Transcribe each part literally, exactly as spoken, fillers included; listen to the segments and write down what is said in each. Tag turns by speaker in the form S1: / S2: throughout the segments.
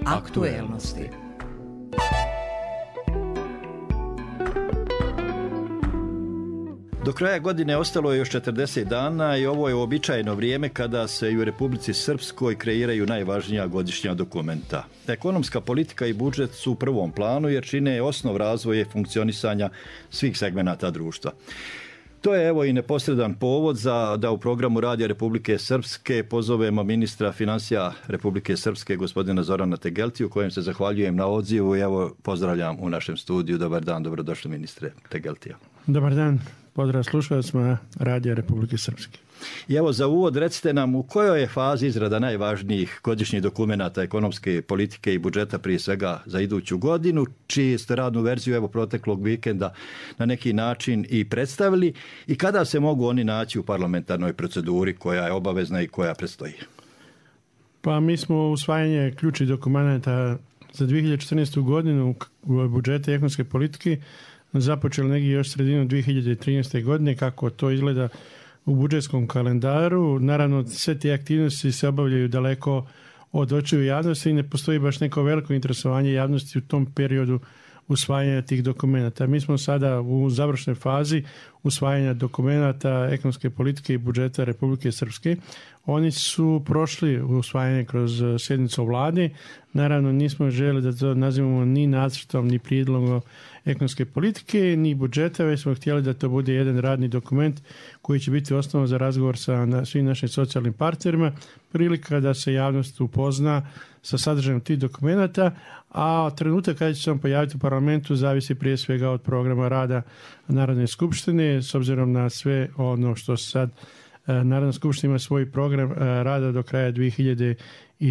S1: Aktuelnosti.
S2: Do kraja godine ostalo je još četrdeset dana i ovo je uobičajeno vrijeme kada se i u Republici Srpskoj kreiraju najvažnija godišnja dokumenta. Ekonomska politika i budžet su u prvom planu jer čine osnov razvoja i funkcionisanja svih segmenata društva. To je evo i neposredan povod za da u programu Radija Republike Srpske pozovemo ministra financija Republike Srpske gospodina Zorana Tegeltiju, kojem se zahvaljujem na odzivu i evo pozdravljam u našem studiju. Dobar dan, dobrodošli ministre Tegeltija.
S3: Dobar dan, pozdrav slušalcima Radija Republike Srpske.
S2: I evo za uvod recite nam u kojoj je fazi izrada najvažnijih godišnjih dokumenata ekonomske politike i budžeta prije svega za iduću godinu, čiji ste radnu verziju evo proteklog vikenda na neki način i predstavili i kada se mogu oni naći u parlamentarnoj proceduri koja je obavezna i koja predstoji?
S3: Pa mi smo usvajanje ključnih dokumenta za dvije hiljade četrnaestu godinu u budžete ekonomske politike započeli negdje još sredinom dvije hiljade trinaeste. godine, kako to izgleda u budžetskom kalendaru. Naravno, sve te aktivnosti se obavljaju daleko od očiju javnosti i ne postoji baš neko veliko interesovanje javnosti u tom periodu usvajanja tih dokumenta. Mi smo sada u završnoj fazi usvajanja dokumenta ekonomske politike i budžeta Republike Srpske. Oni su prošli usvajanje kroz sjednicu vlade. Naravno, nismo željeli da to nazivamo ni nacrtom, ni prijedlogom ekonomske politike, ni budžeta, već smo htjeli da to bude jedan radni dokument koji će biti osnova za razgovor sa na, svim našim socijalnim partnerima, prilika da se javnost upozna sa sadržajem tih dokumenta, a trenutak kada će se on pojaviti u parlamentu zavisi prije svega od programa rada Narodne skupštine, s obzirom na sve ono što sad Narodna skupština ima svoj program rada do kraja dvije hiljade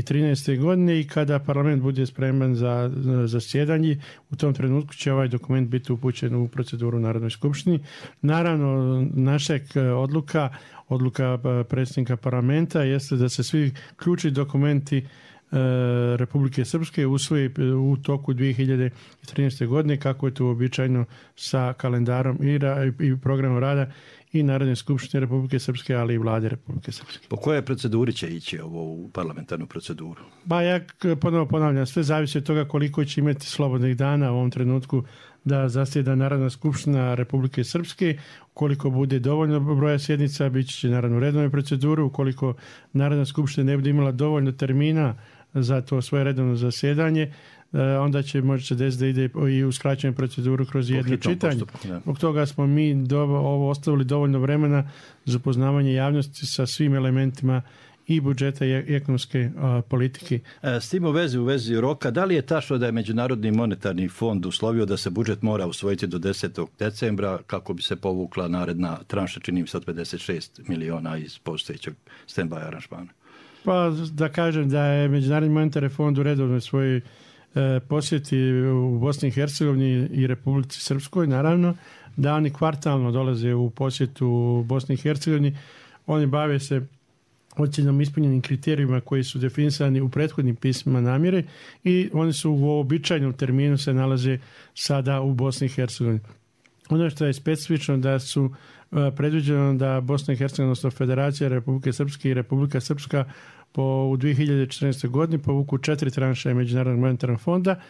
S3: trinaeste. godine i kada parlament bude spreman za zasjedanje, u tom trenutku će ovaj dokument biti upućen u proceduru Narodnoj skupštini. Naravno, naša odluka, odluka predsjednika parlamenta jeste da se svi ključni dokumenti Republike Srpske usvoji u toku dvije hiljade trinaeste. godine, kako je to uobičajeno sa kalendarom i, ra- i programom rada i Narodne skupštine Republike Srpske, ali i vlade Republike Srpske.
S2: Po kojoj proceduri će ići ovo u parlamentarnu proceduru?
S3: Ba ja ponovo ponavljam, sve zavisi od toga koliko će imati slobodnih dana u ovom trenutku da zasjeda Narodna skupština Republike Srpske. Ukoliko bude dovoljno broja sjednica, bit će naravno redovnu proceduru. Ukoliko Narodna skupština ne bude imala dovoljno termina za to svoje redovno zasjedanje, onda će možda desiti da ide i u skraćenu proceduru kroz jedno čitanje. Zbog toga smo mi do, ovo ostavili dovoljno vremena za upoznavanje javnosti sa svim elementima i budžeta i ekonomske a, politike.
S2: S tim u vezi, u vezi roka, da li je tačno da je Međunarodni monetarni fond uslovio da se budžet mora usvojiti do desetog decembra kako bi se povukla naredna tranša, čini mi se od pedeset šest miliona iz postojećeg stand-by aranžmana?
S3: Pa da kažem da je Međunarodni monetarni fond u redovnoj svojoj e, posjeti u Bosni i Hercegovini i Republici Srpskoj, naravno, da oni kvartalno dolaze u posjetu u Bosni i Hercegovini. Oni bave se ocjenom ispunjenim kriterijima koji su definisani u prethodnim pismima namjere i oni su u običajnom terminu se nalaze sada u Bosni i Hercegovini. Ono što je specifično da su predviđeno da Bosna i Hercegovina, odnosno Federacija Republike Srpske i Republika Srpska po, u dvije hiljade četrnaestoj. godini povuku četiri tranše Međunarodnog monetarnog fonda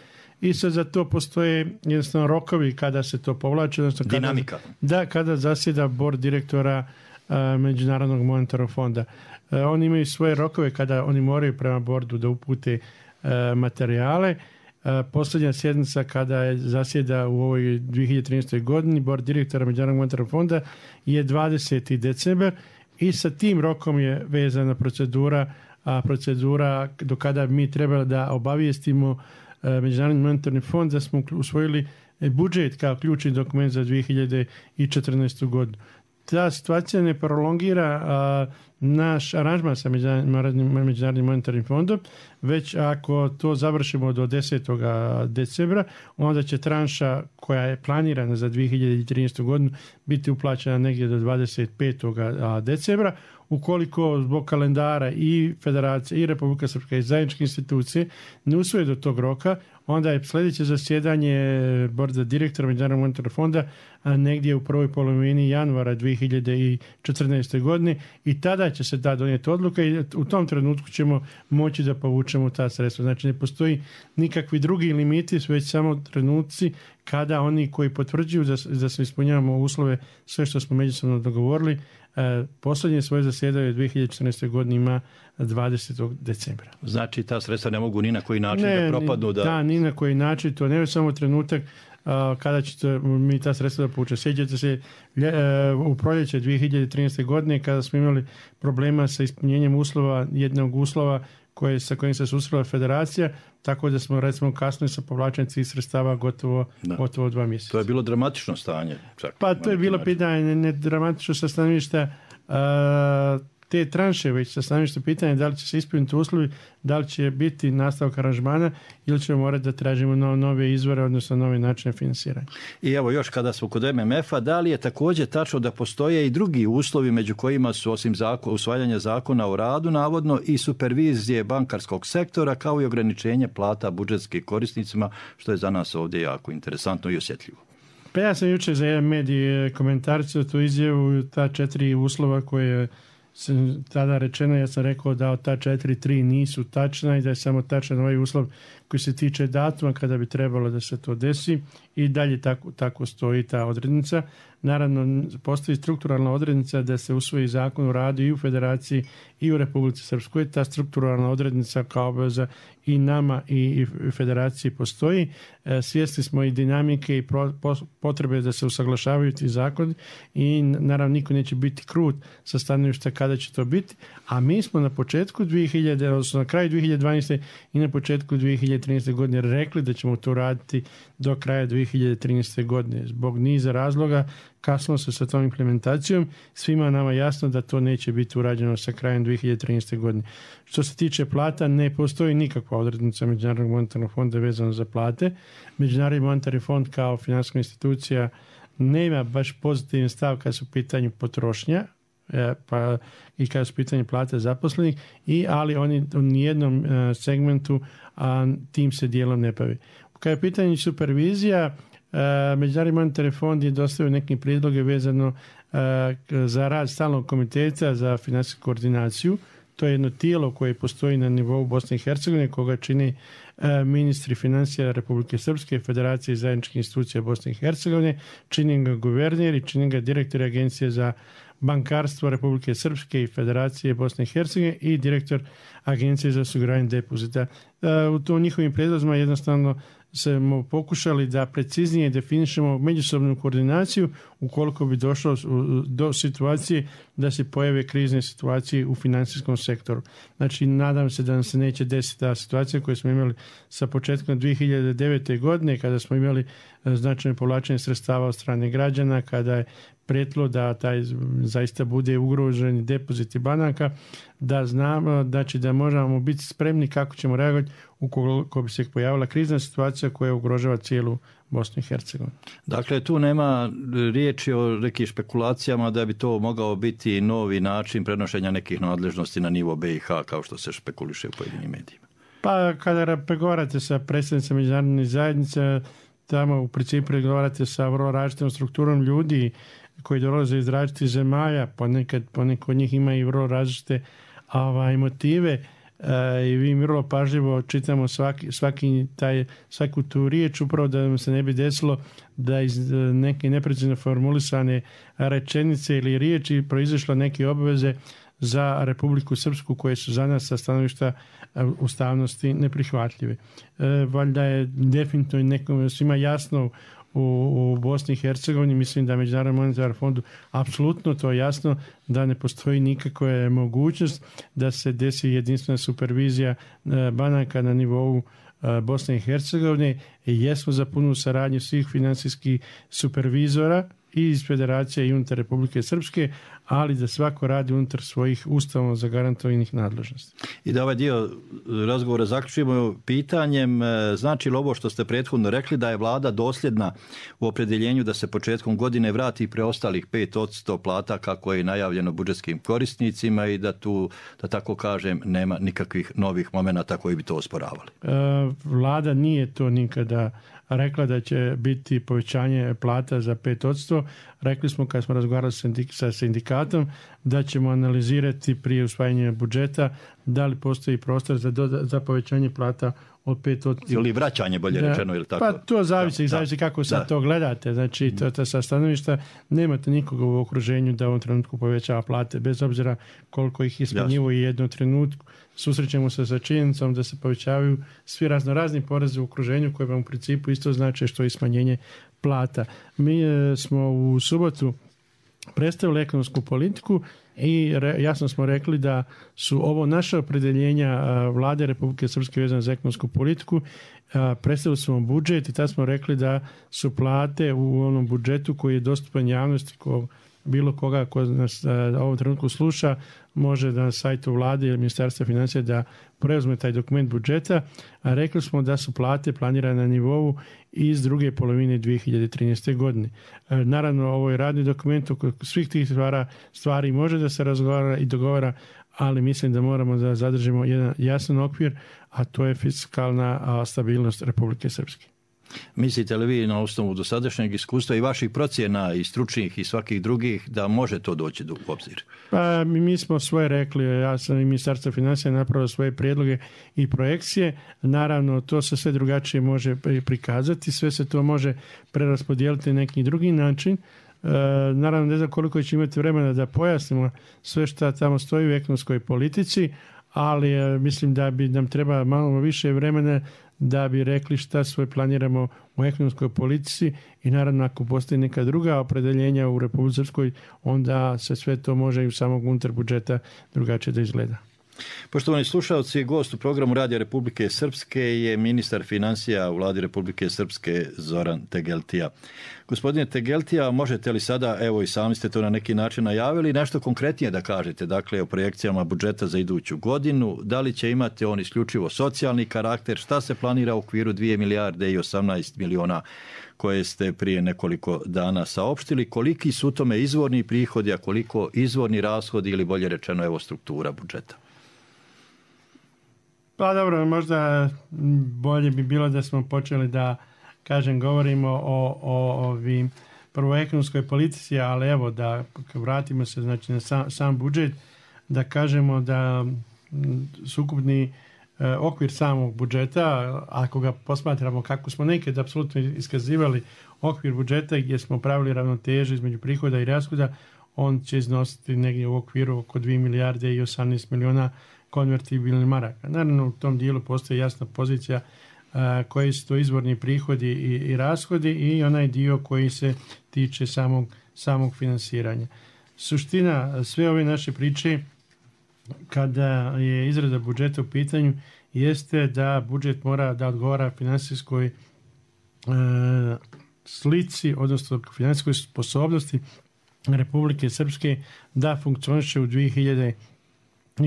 S3: i sad za to postoje jednostavno rokovi kada se to povlači. Kada,
S2: dinamika.
S3: Da, kada zasjeda bord direktora uh, Međunarodnog monetarnog fonda. Uh, oni imaju svoje rokove kada oni moraju prema bordu da upute uh, materijale. Uh, posljednja sjednica kada je zasjeda u ovoj dvije hiljade trinaestoj. godini bord direktora Međunarodnog monetarnog fonda je dvadeseti decembar i sa tim rokom je vezana procedura, a procedura do kada mi treba da obavijestimo uh, Međunarodni monetarni fond da smo usvojili budžet kao ključni dokument za dvije hiljade četrnaestu. godinu. Ta situacija ne prolongira a, naš aranžman sa Međunarodnim monetarnim fondom, već ako to završimo do desetog decembra, onda će tranša koja je planirana za dvije hiljade trinaestu. godinu biti uplaćena negdje do dvadeset petog decembra. Ukoliko zbog kalendara i Federacije i Republika Srpska i zajedničke institucije ne usvoje do tog roka, onda je sljedeće zasjedanje borda direktora Međunarodnog monetarnog fonda negdje u prvoj polovini januara dvije hiljade četrnaeste. godine i tada će se da donijeti odluka i u tom trenutku ćemo moći da povučemo ta sredstva. Znači ne postoji nikakvi drugi limiti, već samo trenutci kada oni koji potvrđuju da, da se ispunjavamo uslove, sve što smo međusobno dogovorili, e, posljednje svoje zasjedanje dvije hiljade četrnaeste. godine ima dvadesetog decembra.
S2: Znači ta sredstva ne mogu ni na koji način
S3: ne,
S2: da propadnu? Da...
S3: da, ni na koji način. To ne je samo trenutak Uh, kada ćete mi ta sredstva da povučemo. Sjećate se uh, u proljeće dvije hiljade trinaeste. godine kada smo imali problema sa ispunjenjem uslova, jednog uslova koje, sa kojim se susrela federacija, tako da smo recimo kasnije sa povlačenjem tih sredstava gotovo, gotovo dva mjeseca.
S2: To je bilo dramatično stanje. Čak,
S3: pa to je bilo način. Pitanje ne dramatično sa stanovišta uh, te tranše, već sa stanovišta pitanja da li će se ispuniti uslovi, da li će biti nastavak aranžmana ili ćemo morati da tražimo no, nove izvore, odnosno nove načine finansiranja.
S2: I evo još kada smo kod em em ef-a, da li je također tačno da postoje i drugi uslovi među kojima su osim zakon, usvajanja zakona o radu navodno i supervizije bankarskog sektora kao i ograničenje plata budžetskim korisnicima, što je za nas ovdje jako interesantno i osjetljivo.
S3: Pa ja sam jučer za jedan medij komentarcio tu izjavu, ta četiri uslova koje sam tada rečeno, ja sam rekao da od ta četiri, tri nisu tačna i da je samo tačan ovaj uslov koji se tiče datuma kada bi trebalo da se to desi i dalje tako, tako stoji ta odrednica. Naravno, postoji strukturalna odrednica da se usvoji zakon o radu i u Federaciji i u Republici Srpskoj. Ta strukturalna odrednica kao obaveza i nama i Federaciji postoji. Svjesni smo i dinamike i potrebe da se usaglašavaju ti zakoni i naravno niko neće biti krut sa stanovišta kada će to biti. A mi smo na početku dvije hiljade, odnosno na kraju dvije hiljade dvanaeste. i na početku dvije hiljade trinaeste. godine rekli da ćemo to raditi do kraja dvije hiljade trinaeste. godine. Zbog niza razloga kasno se sa tom implementacijom. Svima nama jasno da to neće biti urađeno sa krajem dvije hiljade trinaeste. godine. Što se tiče plata, ne postoji nikakva odrednica Međunarodnog monetarnog fonda vezano za plate. Međunarodni monetarni fond kao financijska institucija nema baš pozitivan stav kad su u pitanju potrošnja, pa i kada su pitanje plate zaposlenih, i, ali oni u nijednom segmentu a, tim se dijelom ne bavi. Kada je pitanje supervizija, Međunarodni monetarni fond je dostavio neke prijedloge vezano za rad stalnog komiteta za financijsku koordinaciju. To je jedno tijelo koje postoji na nivou Bosne i Hercegovine, koga čini ministri financija Republike Srpske, Federacije i zajedničkih institucija Bosne i Hercegovine, čini ga guverner i čini ga direktor Agencije za bankarstvo Republike Srpske i Federacije Bosne i Hercegovine i direktor Agencije za osiguranje depozita. U tom njihovim prijedlozima jednostavno smo pokušali da preciznije definišemo međusobnu koordinaciju ukoliko bi došlo do situacije da se pojave krizne situacije u financijskom sektoru. Znači, nadam se da nam se neće desiti ta situacija koju smo imali sa početkom dvije hiljade devete. godine kada smo imali značajno povlačenje sredstava od strane građana, kada je prijetilo da taj zaista bude ugroženi depoziti banaka, da znamo da će da možemo biti spremni kako ćemo reagovati ukoliko bi se pojavila krizna situacija koja ugrožava cijelu Bosnu i Hercegovinu.
S2: Dakle, tu nema riječi o nekim špekulacijama da bi to mogao biti novi način prenošenja nekih nadležnosti na nivo be i ha, kao što se špekuliše u pojedinim medijima.
S3: Pa kada pregovarate sa predstavnicima međunarodne zajednice, tamo u principu pregovarate sa vrlo različitom strukturom ljudi koji dolaze iz različitih zemalja, ponekad, ponekad od njih ima i vrlo različite ovaj, motive e, i mi vrlo pažljivo čitamo svaki, svaki taj, svaku tu riječ upravo da nam se ne bi desilo da iz neke neprecizno formulisane rečenice ili riječi proizašlo neke obveze za Republiku Srpsku koje su za nas sa stanovišta ustavnosti neprihvatljive. E, valjda je definitivno nekom svima jasno u, u Bosni i Hercegovini, mislim da Međunarodnom monetarnom fondu apsolutno to je jasno da ne postoji nikakva mogućnost da se desi jedinstvena supervizija banaka na nivou Bosne i Hercegovine i jesmo za punu saradnju svih financijskih supervizora i iz Federacije i unutar Republike Srpske, ali da svako radi unutar svojih ustavom zagarantovanih nadležnosti.
S2: I da ovaj dio razgovora zaključimo pitanjem, znači li ovo što ste prethodno rekli da je vlada dosljedna u opredjeljenju da se početkom godine vrati preostalih pet posto plata kako je najavljeno budžetskim korisnicima i da tu, da tako kažem, nema nikakvih novih momenata koji bi to osporavali?
S3: Vlada nije to nikada rekla da će biti povećanje plata za pet posto. Rekli smo kad smo razgovarali sa sindikatom platom, da ćemo analizirati prije usvajanja budžeta da li postoji prostor za, doda, za povećanje plata od pet odstotka.
S2: Ili vraćanje, bolje da, rečeno, ili tako?
S3: Pa to zavisi, da, zavisi kako
S2: da,
S3: sad da. to gledate. Znači, to, to sa stanovišta nemate nikoga u okruženju da u ovom trenutku povećava plate, bez obzira koliko ih ismanjivo i jednom trenutku. Susrećemo se sa činjenicom da se povećavaju svi razno razni porezi u okruženju koje vam u principu isto znači što je smanjenje plata. Mi e, smo u subotu predstavili ekonomsku politiku i re, jasno smo rekli da su ovo naše opredeljenja a, Vlade Republike Srpske vezane za ekonomsku politiku. A, predstavili smo budžet i tad smo rekli da su plate u onom budžetu koji je dostupan javnosti, ko, bilo koga ko nas a, u ovom trenutku sluša, može da na sajtu Vlade ili Ministarstva financija da preuzme taj dokument budžeta, a rekli smo da su plate planirane na nivou iz druge polovine dvije hiljade trinaeste. godine. Naravno, ovo je radni dokument, oko svih tih stvara, stvari može da se razgovara i dogovara, ali mislim da moramo da zadržimo jedan jasan okvir, a to je fiskalna stabilnost Republike Srpske.
S2: Mislite li vi na osnovu dosadašnjeg iskustva i vaših procjena i stručnih i svakih drugih da može to doći do obzir?
S3: Pa mi smo svoje rekli, ja sam i Ministarstvo financija napravio svoje prijedloge i projekcije. Naravno, to se sve drugačije može prikazati, sve se to može preraspodijeliti na neki drugi način. E, naravno, ne znam koliko će imati vremena da pojasnimo sve što tamo stoji u ekonomskoj politici, ali e, mislim da bi nam treba malo više vremena da bi rekli šta sve planiramo u ekonomskoj politici i naravno ako postoji neka druga opredeljenja u Republici Srpskoj, onda se sve to može i u samog unutar budžeta drugačije da izgleda.
S2: Poštovani slušalci, gost u programu Radija Republike Srpske je ministar financija u Vladi Republike Srpske Zoran Tegeltija. Gospodine Tegeltija, možete li sada, evo i sami ste to na neki način najavili, nešto konkretnije da kažete, dakle o projekcijama budžeta za iduću godinu, da li će imati on isključivo socijalni karakter, šta se planira u okviru dvije milijarde i osamnaest miliona koje ste prije nekoliko dana saopštili, koliki su tome izvorni prihodi, a koliko izvorni rashodi ili bolje rečeno evo struktura budžeta?
S3: Pa dobro, možda bolje bi bilo da smo počeli da, kažem, govorimo o, o ovim prvo ekonomskoj politici, ali evo da vratimo se znači, na sam, sam budžet, da kažemo da sukupni e, okvir samog budžeta, ako ga posmatramo kako smo nekad apsolutno iskazivali okvir budžeta gdje smo pravili ravnotežu između prihoda i rashoda, on će iznositi negdje u okviru oko dvije milijarde i osamnaest miliona konvertibilnih maraka. Naravno, u tom dijelu postoji jasna pozicija a, koji su to izvorni prihodi i, i rashodi i onaj dio koji se tiče samog, samog finansiranja. Suština sve ove naše priče kada je izrada budžeta u pitanju jeste da budžet mora da odgovara finansijskoj e, slici, odnosno finansijskoj sposobnosti Republike Srpske da funkcioniše u dvije hiljade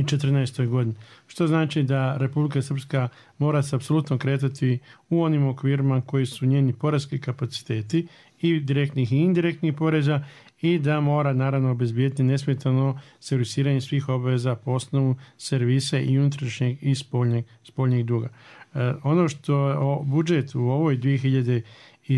S3: četrnaestoj. godini. Što znači da Republika Srpska mora se apsolutno kretati u onim okvirima koji su njeni poreski kapaciteti i direktnih i indirektnih poreza i da mora naravno obezbijeti nesmetano servisiranje svih obaveza po osnovu servisa i unutrašnjeg i spoljnjeg, spoljnjeg duga. E, ono što o, budžet u ovoj dvije hiljade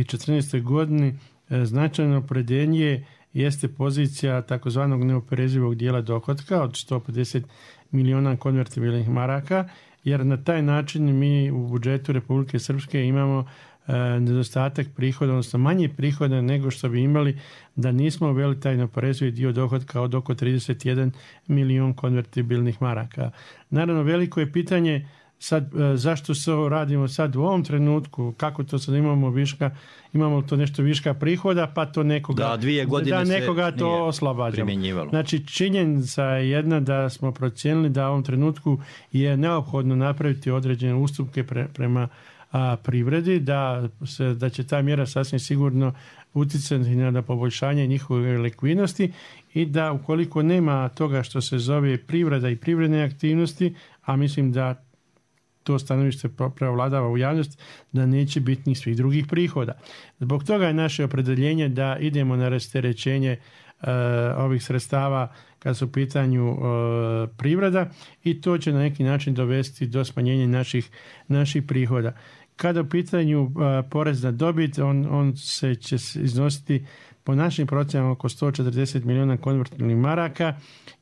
S3: četrnaestoj. godini e, značajno opredeljenje jeste pozicija takozvanog neoporezivog dijela dohotka od sto pedeset miliona konvertibilnih maraka, jer na taj način mi u budžetu Republike Srpske imamo e, nedostatak prihoda, odnosno manje prihoda nego što bi imali da nismo uveli taj neoporezivi dio dohotka od oko trideset jedan milion konvertibilnih maraka. Naravno, veliko je pitanje sad, zašto se ovo radimo sad u ovom trenutku, kako to sad imamo viška, imamo to nešto viška prihoda, pa to nekoga,
S2: da, dvije godine
S3: da nekoga to oslobađamo. Znači, činjenica je jedna da smo procijenili da u ovom trenutku je neophodno napraviti određene ustupke pre, prema a, privredi, da, se, da će ta mjera sasvim sigurno utjecati na poboljšanje njihove likvidnosti i da ukoliko nema toga što se zove privreda i privredne aktivnosti, a mislim da to stanovište prevladava u javnosti, da neće biti ni svih drugih prihoda. Zbog toga je naše opredeljenje da idemo na rasterećenje e, ovih sredstava kad su u pitanju e, privreda i to će na neki način dovesti do smanjenja naših, naših prihoda. Kada u pitanju e, porez na dobit, on, on se će iznositi po našim procjenama oko sto četrdeset milijuna konvertibilnih maraka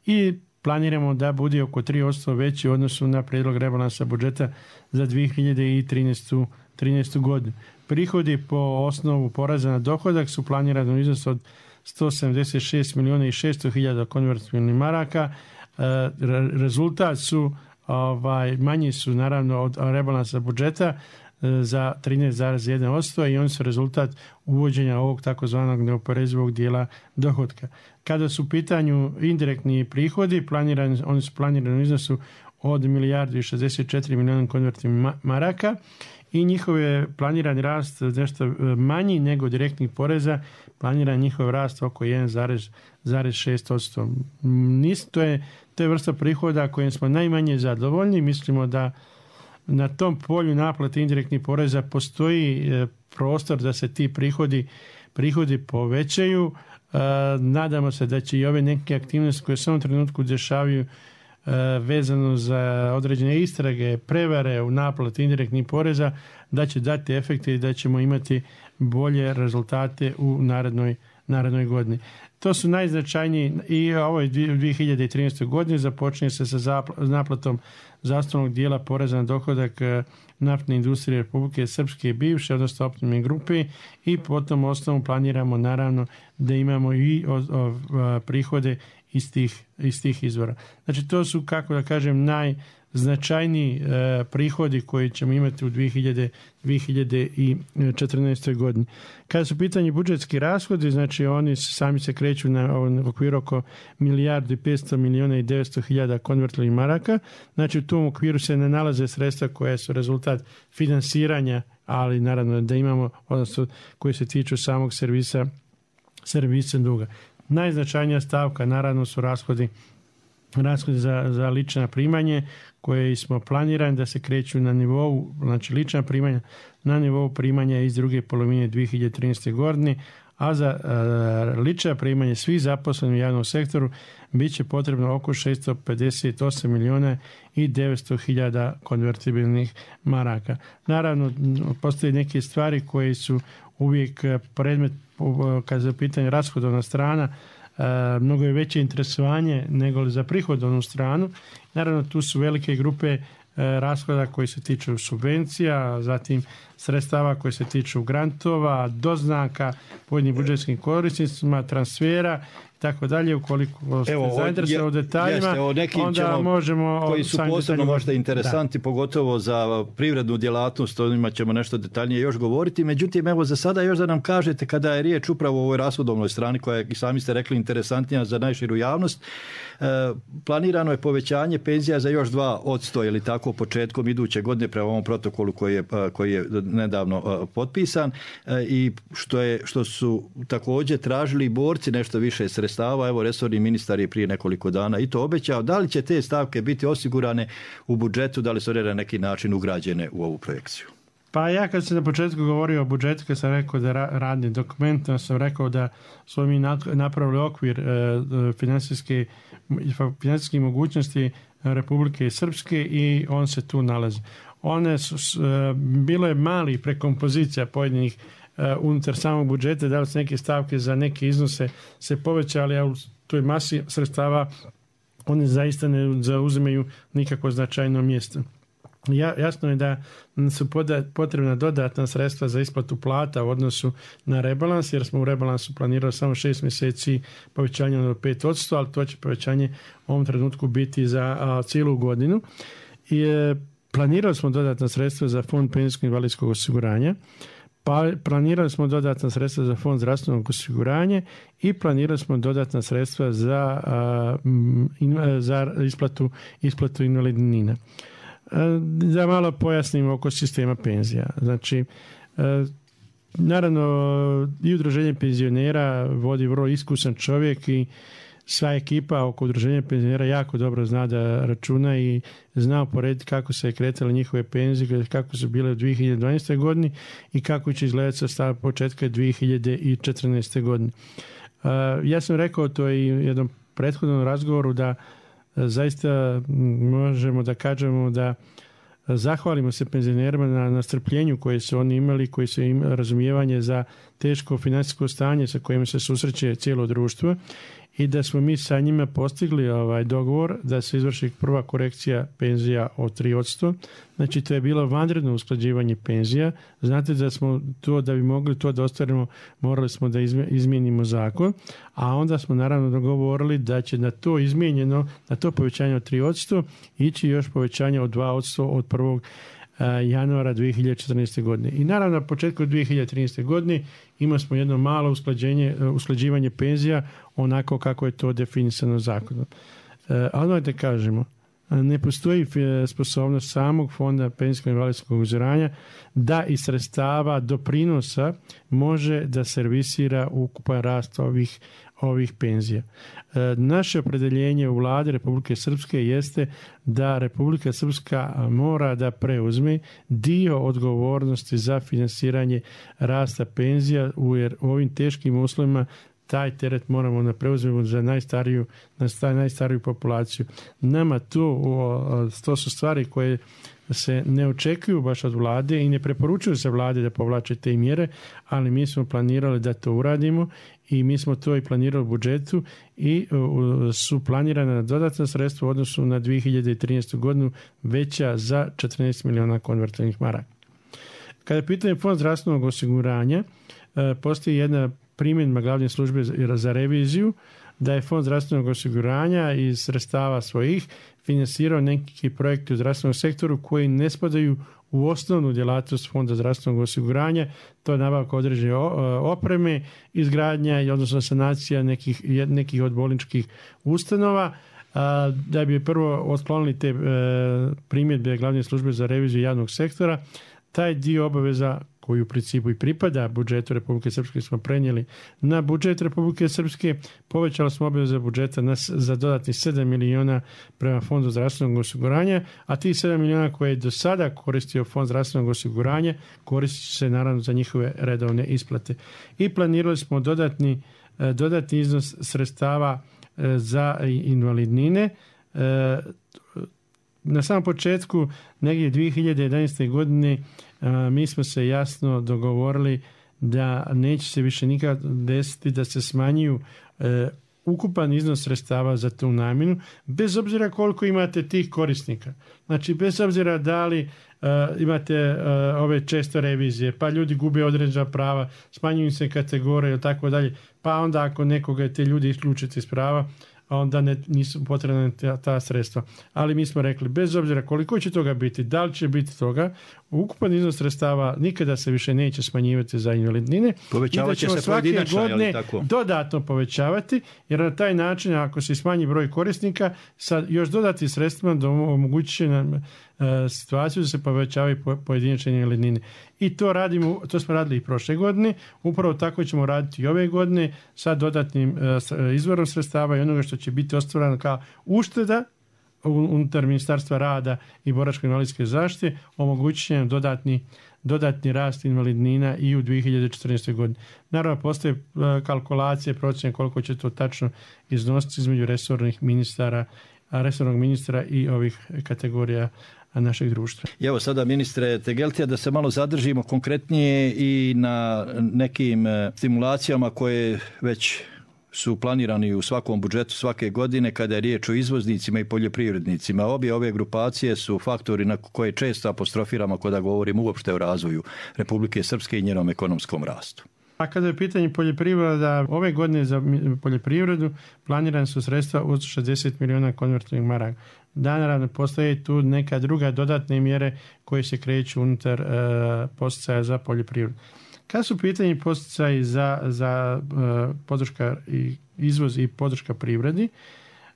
S3: i planiramo da bude oko tri posto veći u odnosu na prijedlog rebalansa budžeta za dvije hiljade trinaestu godinu. Prihodi po osnovu poreza na dohodak su planirani u iznosu od sto sedamdeset šest milijuna i šesto hiljada konvertibilnih maraka. Rezultat su ovaj, manji su naravno od rebalansa budžeta za trinaest zarez jedan posto i oni su rezultat uvođenja ovog takozvanog neoporezivog dijela dohotka. Kada su u pitanju indirektni prihodi, planirani, oni su planirani u iznosu od milijardu i šezdeset četiri milijuna konvertibilnih maraka i njihov je planirani rast nešto manji nego direktnih poreza, planiran njihov rast oko jedan zarez šest posto. To je, to je vrsta prihoda kojim smo najmanje zadovoljni. Mislimo da na tom polju naplate indirektnih poreza postoji prostor da se ti prihodi, prihodi povećaju. Nadamo se da će i ove neke aktivnosti koje se u ovom trenutku dešavaju vezano za određene istrage, prevare u naplati indirektnih poreza, da će dati efekte i da ćemo imati bolje rezultate u narednoj, narednoj godini. To su najznačajniji i ovoj dvije hiljade trinaestoj godini započinje se sa naplatom zastavnog dijela poreza na dohodak naftne industrije Republike Srpske i bivše, odnosno optimne grupe i potom osnovu planiramo naravno da imamo i o, o, prihode iz tih, iz tih izvora. Znači to su, kako da kažem, najznačajniji e, prihodi koji ćemo imati u dvije hiljade četrnaestoj godini. Kada su pitanje budžetski rashodi, znači oni sami se kreću na, na okviru oko milijardu i petsto milijuna i devetsto hiljada konvertibilnih maraka. Znači u tom okviru se ne nalaze sredstva koje su rezultat finansiranja, ali naravno da imamo, odnosno koji se tiču samog servisa, servisa duga. Najznačajnija stavka naravno su rashodi, rashodi za, za lična primanje koje smo planirani da se kreću na nivou, znači lična primanja na nivou primanja iz druge polovine dvije hiljade trinaeste. godine, a za uh, lična primanja svih zaposlenih u javnom sektoru bit će potrebno oko šesto pedeset osam milijuna i devetsto hiljada konvertibilnih maraka. Naravno, postoje neke stvari koje su uvijek predmet kada je u pitanju rashodovna strana, mnogo je veće interesovanje nego za prihodovnu stranu. Naravno, tu su velike grupe rashoda koji se tiču subvencija, zatim sredstava koji se tiču grantova, doznaka pojedinim budžetskim korisnicima, transfera i tako dalje. Ukoliko ste zainteresovani u detaljima, jeste, onda možemo...
S2: Koji su posebno možda interesanti, da. Pogotovo za privrednu djelatnost, o njima ćemo nešto detaljnije još govoriti. Međutim, evo za sada još da nam kažete, kada je riječ upravo o ovoj rashodovnoj strani, koja je, i sami ste rekli, interesantnija za najširu javnost, e, planirano je povećanje penzija za još dva posto ili tako početkom iduće godine prema ovom protokolu koji je, koji je nedavno potpisan i što, je, što su također tražili borci nešto više sredstava. Evo, resorni ministar je prije nekoliko dana i to obećao. Da li će te stavke biti osigurane u budžetu, da li su one na neki način ugrađene u ovu projekciju?
S3: Pa ja kad sam na početku govorio o budžetu, kad sam rekao da radni dokument, sam rekao da smo mi napravili okvir financijske, financijske mogućnosti Republike Srpske i on se tu nalazi. One su, bilo je mali prekompozicija pojedinih unutar samog budžeta, da li su neke stavke za neke iznose se povećali, a u toj masi sredstava one zaista ne zauzimaju nikakvo značajno mjesto. Ja, jasno je da su potrebna dodatna sredstva za isplatu plata u odnosu na rebalans, jer smo u rebalansu planirali samo šest mjeseci povećanje od pet posto, ali to će povećanje u ovom trenutku biti za a, cijelu godinu. I e, planirali smo dodatna sredstva za fond penzijskog i invalidskog osiguranja, pa planirali smo dodatna sredstva za fond zdravstvenog osiguranja i planirali smo dodatna sredstva za, a, in, za isplatu, isplatu invalidnina. Da malo pojasnimo oko sistema penzija. Znači, naravno i udruženje penzionera vodi vrlo iskusan čovjek i sva ekipa oko udruženja penzionera jako dobro zna da računa i zna uporediti kako se kretale njihove penzije, kako su bile u dvije hiljade dvanaestoj. godini i kako će izgledati sa početka dvije hiljade četrnaeste. godine. Ja sam rekao to i u jednom prethodnom razgovoru da zaista možemo da kažemo da zahvalimo se penzionerima na, na strpljenju koje su oni imali, koji su imali razumijevanje za teško financijsko stanje sa kojim se susreće cijelo društvo i da smo mi sa njima postigli ovaj dogovor da se izvrši prva korekcija penzija od tri posto. Znači to je bilo vanredno usklađivanje penzija. Znate da smo to, da bi mogli to da ostvarimo, morali smo da izmijenimo zakon, a onda smo naravno dogovorili da će na to izmijenjeno, na to povećanje od tri posto ići još povećanje od dva posto od prvog januara dvije hiljade četrnaeste. godine. I naravno na početku dvije hiljade trinaeste. godine imali smo jedno malo usklađenje, usklađivanje penzija onako kako je to definisano zakonom. Ali da kažemo, ne postoji sposobnost samog fonda penzijskog invalidskog osiguranja da iz sredstava doprinosa može da servisira ukupan rast ovih, ovih penzija. Naše opredeljenje u vladi Republike Srpske jeste da Republika Srpska mora da preuzme dio odgovornosti za finansiranje rasta penzija u ovim teškim uslovima. Taj teret moramo da preuzmemo za najstariju, najstariju populaciju. Nama to, to su stvari koje se ne očekuju baš od vlade i ne preporučuju se vlade da povlače te mjere, ali mi smo planirali da to uradimo i mi smo to i planirali u budžetu i su planirana dodatna sredstva u odnosu na dvije hiljade trinaestu. godinu veća za četrnaest miliona konvertiranih maraka. Kada je pitanje fond zdravstvenog osiguranja, postoji jedna primjedba glavne službe za reviziju da je fond zdravstvenog osiguranja iz sredstava svojih finansirao neki projekti u zdravstvenom sektoru koji ne spadaju u osnovnu djelatnost fonda zdravstvenog osiguranja. To je nabavka određene opreme, izgradnja i odnosno sanacija nekih, nekih od bolničkih ustanova. Da bi prvo otklonili te primjedbe glavne službe za reviziju javnog sektora, taj dio obaveza koji u principu i pripada budžetu Republike Srpske smo prenijeli na budžet Republike Srpske. Povećali smo obaveze budžeta na, za dodatnih sedam miliona prema fondu zdravstvenog osiguranja, a tih sedam miliona koje je do sada koristio fond zdravstvenog osiguranja koristit će se naravno za njihove redovne isplate. I planirali smo dodatni, dodatni iznos sredstava za invalidnine. Na samom početku, negdje dvije hiljade jedanaeste. godine, mi smo se jasno dogovorili da neće se više nikad desiti da se smanjuju ukupan iznos sredstava za tu namjenu, bez obzira koliko imate tih korisnika. Znači, bez obzira da li uh, imate uh, ove često revizije, pa ljudi gube određena prava, smanjuju se kategorije i tako dalje, pa onda ako nekoga te ljudi isključite iz prava, onda ne, nisu potrebna ta, ta sredstva. Ali mi smo rekli, bez obzira koliko će toga biti, da li će biti toga, ukupan iznos sredstava nikada se više neće smanjivati za invalidnine.
S2: Povećavat će se pojedinačno,
S3: godine dodatno povećavati, jer na taj način, ako se smanji broj korisnika, sa još dodati sredstvima da omogući će nam uh, situaciju da se povećavaju pojedinačne invalidnine. I to radimo, to smo radili i prošle godine, upravo tako ćemo raditi i ove godine sa dodatnim uh, izvorom sredstava i onoga što će biti ostvareno kao ušteda unutar Ministarstva rada i boračko-invalidske zaštite, omogućit će nam dodatni, dodatni rast invalidnina i u dvije hiljade četrnaestoj. godini. Naravno, postoje kalkulacije, procjene koliko će to tačno iznositi između resornih ministara, resornog ministra i ovih kategorija našeg društva.
S2: I evo sada, ministre Tegeltija, da se malo zadržimo konkretnije i na nekim stimulacijama koje već su planirani u svakom budžetu svake godine kada je riječ o izvoznicima i poljoprivrednicima. Obje ove grupacije su faktori na koje često apostrofiramo kada govorimo uopšte o razvoju Republike Srpske i njenom ekonomskom rastu.
S3: A kada je pitanje poljoprivreda, ove godine za poljoprivredu planirane su sredstva od šezdeset miliona konvertiranih maraka. Da, naravno, postoje tu neka druga dodatne mjere koje se kreću unutar uh, posticaja za poljoprivredu. Kad su pitanje posticaji za, za uh, podrška i izvoz i podrška privredi,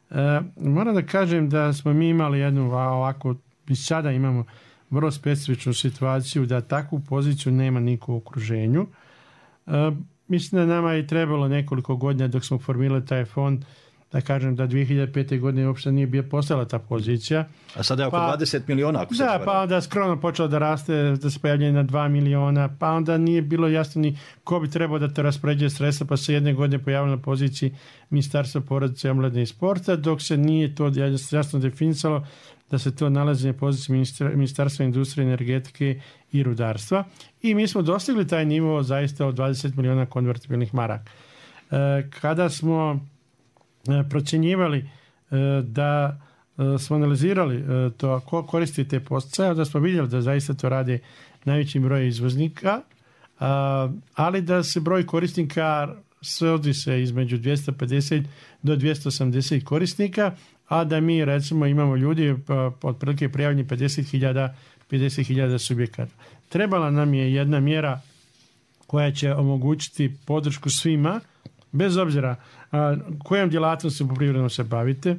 S3: uh, moram da kažem da smo mi imali jednu ovako, i sada imamo vrlo specifičnu situaciju da takvu poziciju nema niko u okruženju. Uh, mislim da nama je trebalo nekoliko godina dok smo formirali taj fond, da kažem da dvije hiljade pete. godine uopšte nije bio postala ta pozicija.
S2: A sada je oko pa, dvadeset miliona. Ako se
S3: da, pa onda skromno počelo da raste, da se pojavljaju na dva miliona, pa onda nije bilo jasno ni ko bi trebao da te raspoređuje sredstva, pa se jedne godine pojavilo na poziciji Ministarstva porodice, omladine i sporta, dok se nije to jasno definisalo da se to nalazi na poziciji ministra, Ministarstva industrije, energetike i rudarstva. I mi smo dostigli taj nivo zaista od dvadeset milijuna konvertibilnih maraka. Kada smo procjenjivali da smo analizirali to ko koristi te poticaje, da smo vidjeli da zaista to rade najveći broj izvoznika, ali da se broj korisnika svodi se između dvjesto pedeset do dvjesto osamdeset korisnika, a da mi recimo imamo ljudi otprilike prijavljeni pedeset hiljada subjekata. Trebala nam je jedna mjera koja će omogućiti podršku svima, bez obzira a, kojom djelatnosti poljoprivrednom se bavite,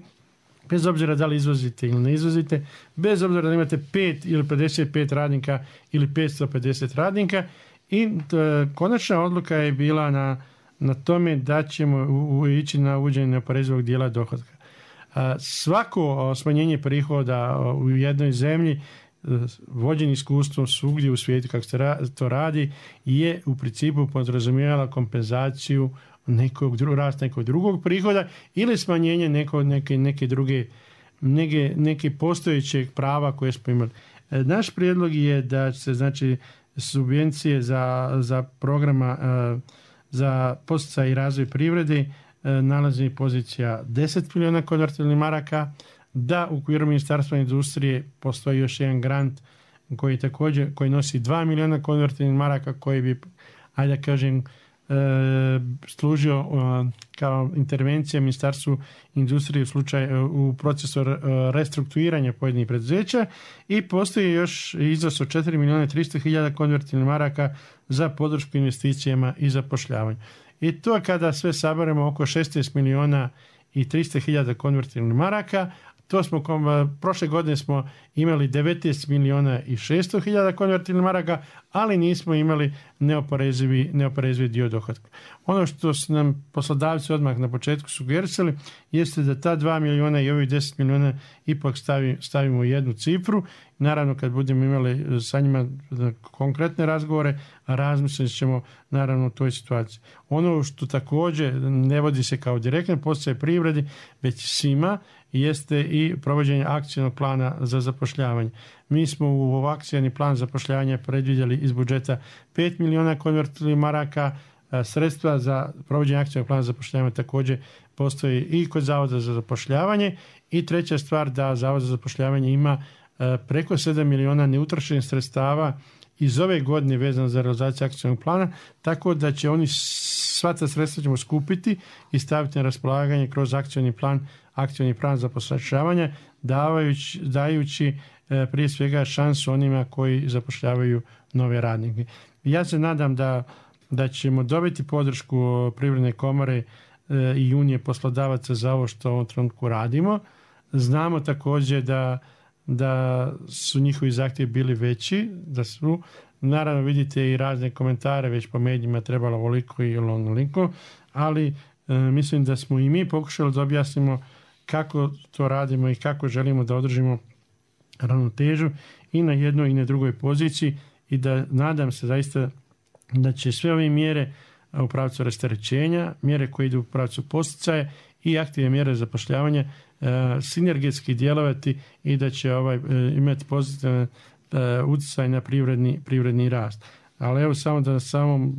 S3: bez obzira da li izvozite ili ne izvozite, bez obzira da imate pet ili pedeset pet radnika ili petsto pedeset radnika. I t, konačna odluka je bila na, na tome da ćemo u, u, ići na uvođenje neoporezivog dijela dohotka. A, svako smanjenje prihoda u jednoj zemlji, vođen iskustvom svugdje u svijetu kako se to radi, je u principu podrazumijela kompenzaciju nekog drugog, rast nekog drugog prihoda ili smanjenje neko, neke, neke druge neke, neke postojećeg prava koje smo imali. Naš prijedlog je da se znači subvencije za, za programa za poticaj i razvoj privrede nalazi pozicija deset milijuna konvertibilnih maraka, da u okviru Ministarstva industrije postoji još jedan grant koji također koji nosi dva milijuna konvertibilnih maraka koji bi, ajde da kažem, e, služio e, kao intervencija Ministarstvu industrije u slučaju u procesu restrukturiranja pojedinih preduzeća, i postoji još iznos od četiri milijuna tristo hiljada konvertibilnih maraka za podršku investicijama i zapošljavanju. I to kada sve saberemo oko šesnaest milijuna i tristo hiljada konvertibilnih maraka. To smo, prošle godine smo imali devetnaest milijuna i šesto hiljada konvertibilnih maraka, ali nismo imali neoporezivi, neoporezivi dio dohotka. Ono što su nam poslodavci odmah na početku sugerisali jeste da ta dva milijuna i ovih deset milijuna ipak stavi, stavimo u jednu cifru. Naravno, kad budemo imali sa njima konkretne razgovore, razmislit ćemo naravno u toj situaciji. Ono što također ne vodi se kao direktne poticaje privredi, već svima, jeste i provođenje akcijnog plana za zapošljavanje. Mi smo u akcijni plan zapošljavanja predvidjeli iz budžeta pet milijuna konvertibilnih maraka. Sredstva za provođenje akcijnog plana zapošljavanja također postoji i kod Zavoda za zapošljavanje. I treća stvar, da Zavod za zapošljavanje ima preko sedam milijuna neutrošenih sredstava iz ove godine vezano za realizaciju akcijnog plana, tako da će oni sva ta sredstva ćemo skupiti i staviti na raspolaganje kroz akcijni plan, akcijni plan zapošljavanja, davajući, dajući e, prije svega šansu onima koji zapošljavaju nove radnike. Ja se nadam da, da ćemo dobiti podršku Privredne komore e, i Unije poslodavaca za ovo što u ovom trenutku radimo. Znamo također da da su njihovi zahtjevi bili veći, da su, naravno vidite i razne komentare već po medijima trebalo ovoliko i onoliko, ali e, mislim da smo i mi pokušali da objasnimo kako to radimo i kako želimo da održimo ravnotežu i na jednoj i na drugoj poziciji, i da nadam se zaista da će sve ove mjere u pravcu rasterećenja, mjere koje idu u pravcu poticaje i aktivne mjere zapošljavanja sinergetski djelovati i da će ovaj imati pozitivan utjecaj na privredni, privredni rast. Ali evo samo da, samo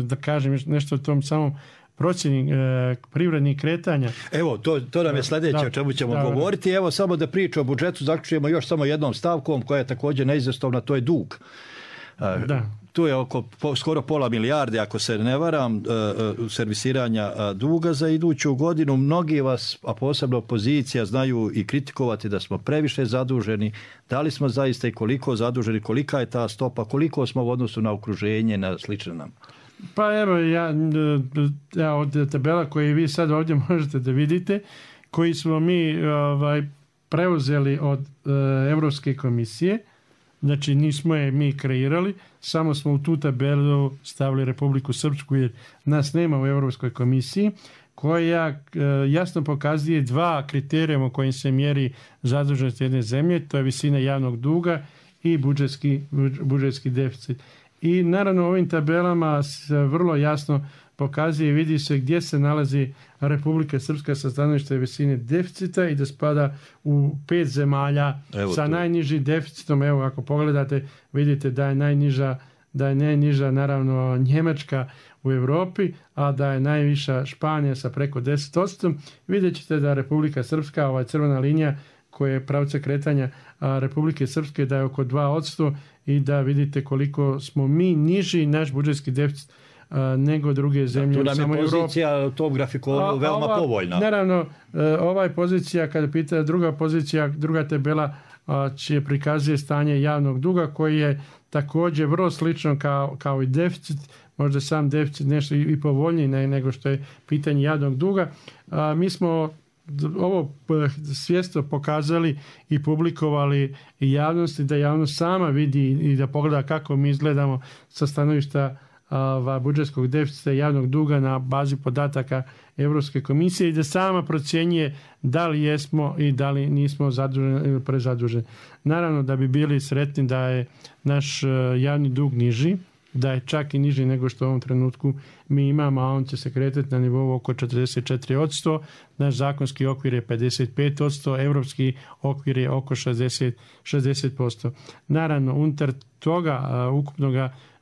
S3: da kažem nešto o tom samom procjeni e, privrednih kretanja.
S2: Evo, to, to nam je sljedeće da, o čemu ćemo da, govoriti. Evo samo da priču o budžetu zaključujemo još samo jednom stavkom koja je također neizostavna, to je dug. Da. Tu je oko po, skoro pola milijarde, ako se ne varam, uh, servisiranja uh, duga za iduću godinu. Mnogi vas, a posebno opozicija, znaju i kritikovati da smo previše zaduženi. Da li smo zaista i koliko zaduženi, kolika je ta stopa, koliko smo u odnosu na okruženje, na slično nam?
S3: Pa evo, ja, ja od tabela koje vi sad ovdje možete da vidite, koji smo mi ovaj, preuzeli od uh, Europske komisije. Znači nismo je mi kreirali, samo smo u tu tabelu stavili Republiku Srpsku jer nas nema u Europskoj komisiji, koja e, jasno pokazuje dva kriterijuma kojim se mjeri zaduženost jedne zemlje, to je visina javnog duga i budžetski, budžetski deficit. I naravno u ovim tabelama se vrlo jasno pokazuje i vidi se gdje se nalazi Republika Srpska sa stanovišta visine deficita i da spada u pet zemalja evo sa to. Najnižim deficitom. Evo, ako pogledate, vidite da je najniža, da je najniža naravno Njemačka u Europi, a da je najviša Španija sa preko deset posto. Vidjet ćete da Republika Srpska, ova crvena linija koja je pravca kretanja a, Republike Srpske, da je oko dva posto i da vidite koliko smo mi niži naš budžetski deficit a, nego druge zemlje.
S2: Da, tu nam je pozicija u tom grafikonu veoma ova, povoljna.
S3: Naravno, ova je pozicija, kada pita druga pozicija, druga tabela a, će prikazuje stanje javnog duga koji je također vrlo slično kao, kao i deficit, možda sam deficit nešto i, i povoljniji nego što je pitanje javnog duga. A, mi smo ovo svjesno pokazali i publikovali i javnosti, da javnost sama vidi i da pogleda kako mi izgledamo sa stanovišta a, budžetskog deficita i javnog duga na bazi podataka Europske komisije i da sama procjenjuje da li jesmo i da li nismo zaduženi ili prezaduženi. Naravno da bi bili sretni da je naš javni dug niži, da je čak i niži nego što u ovom trenutku mi imamo, a on će se kretati na nivou oko četrdeset četiri posto. Naš zakonski okvir je pedeset pet posto, evropski okvir je oko šezdeset posto. Naravno, unutar toga ukupnog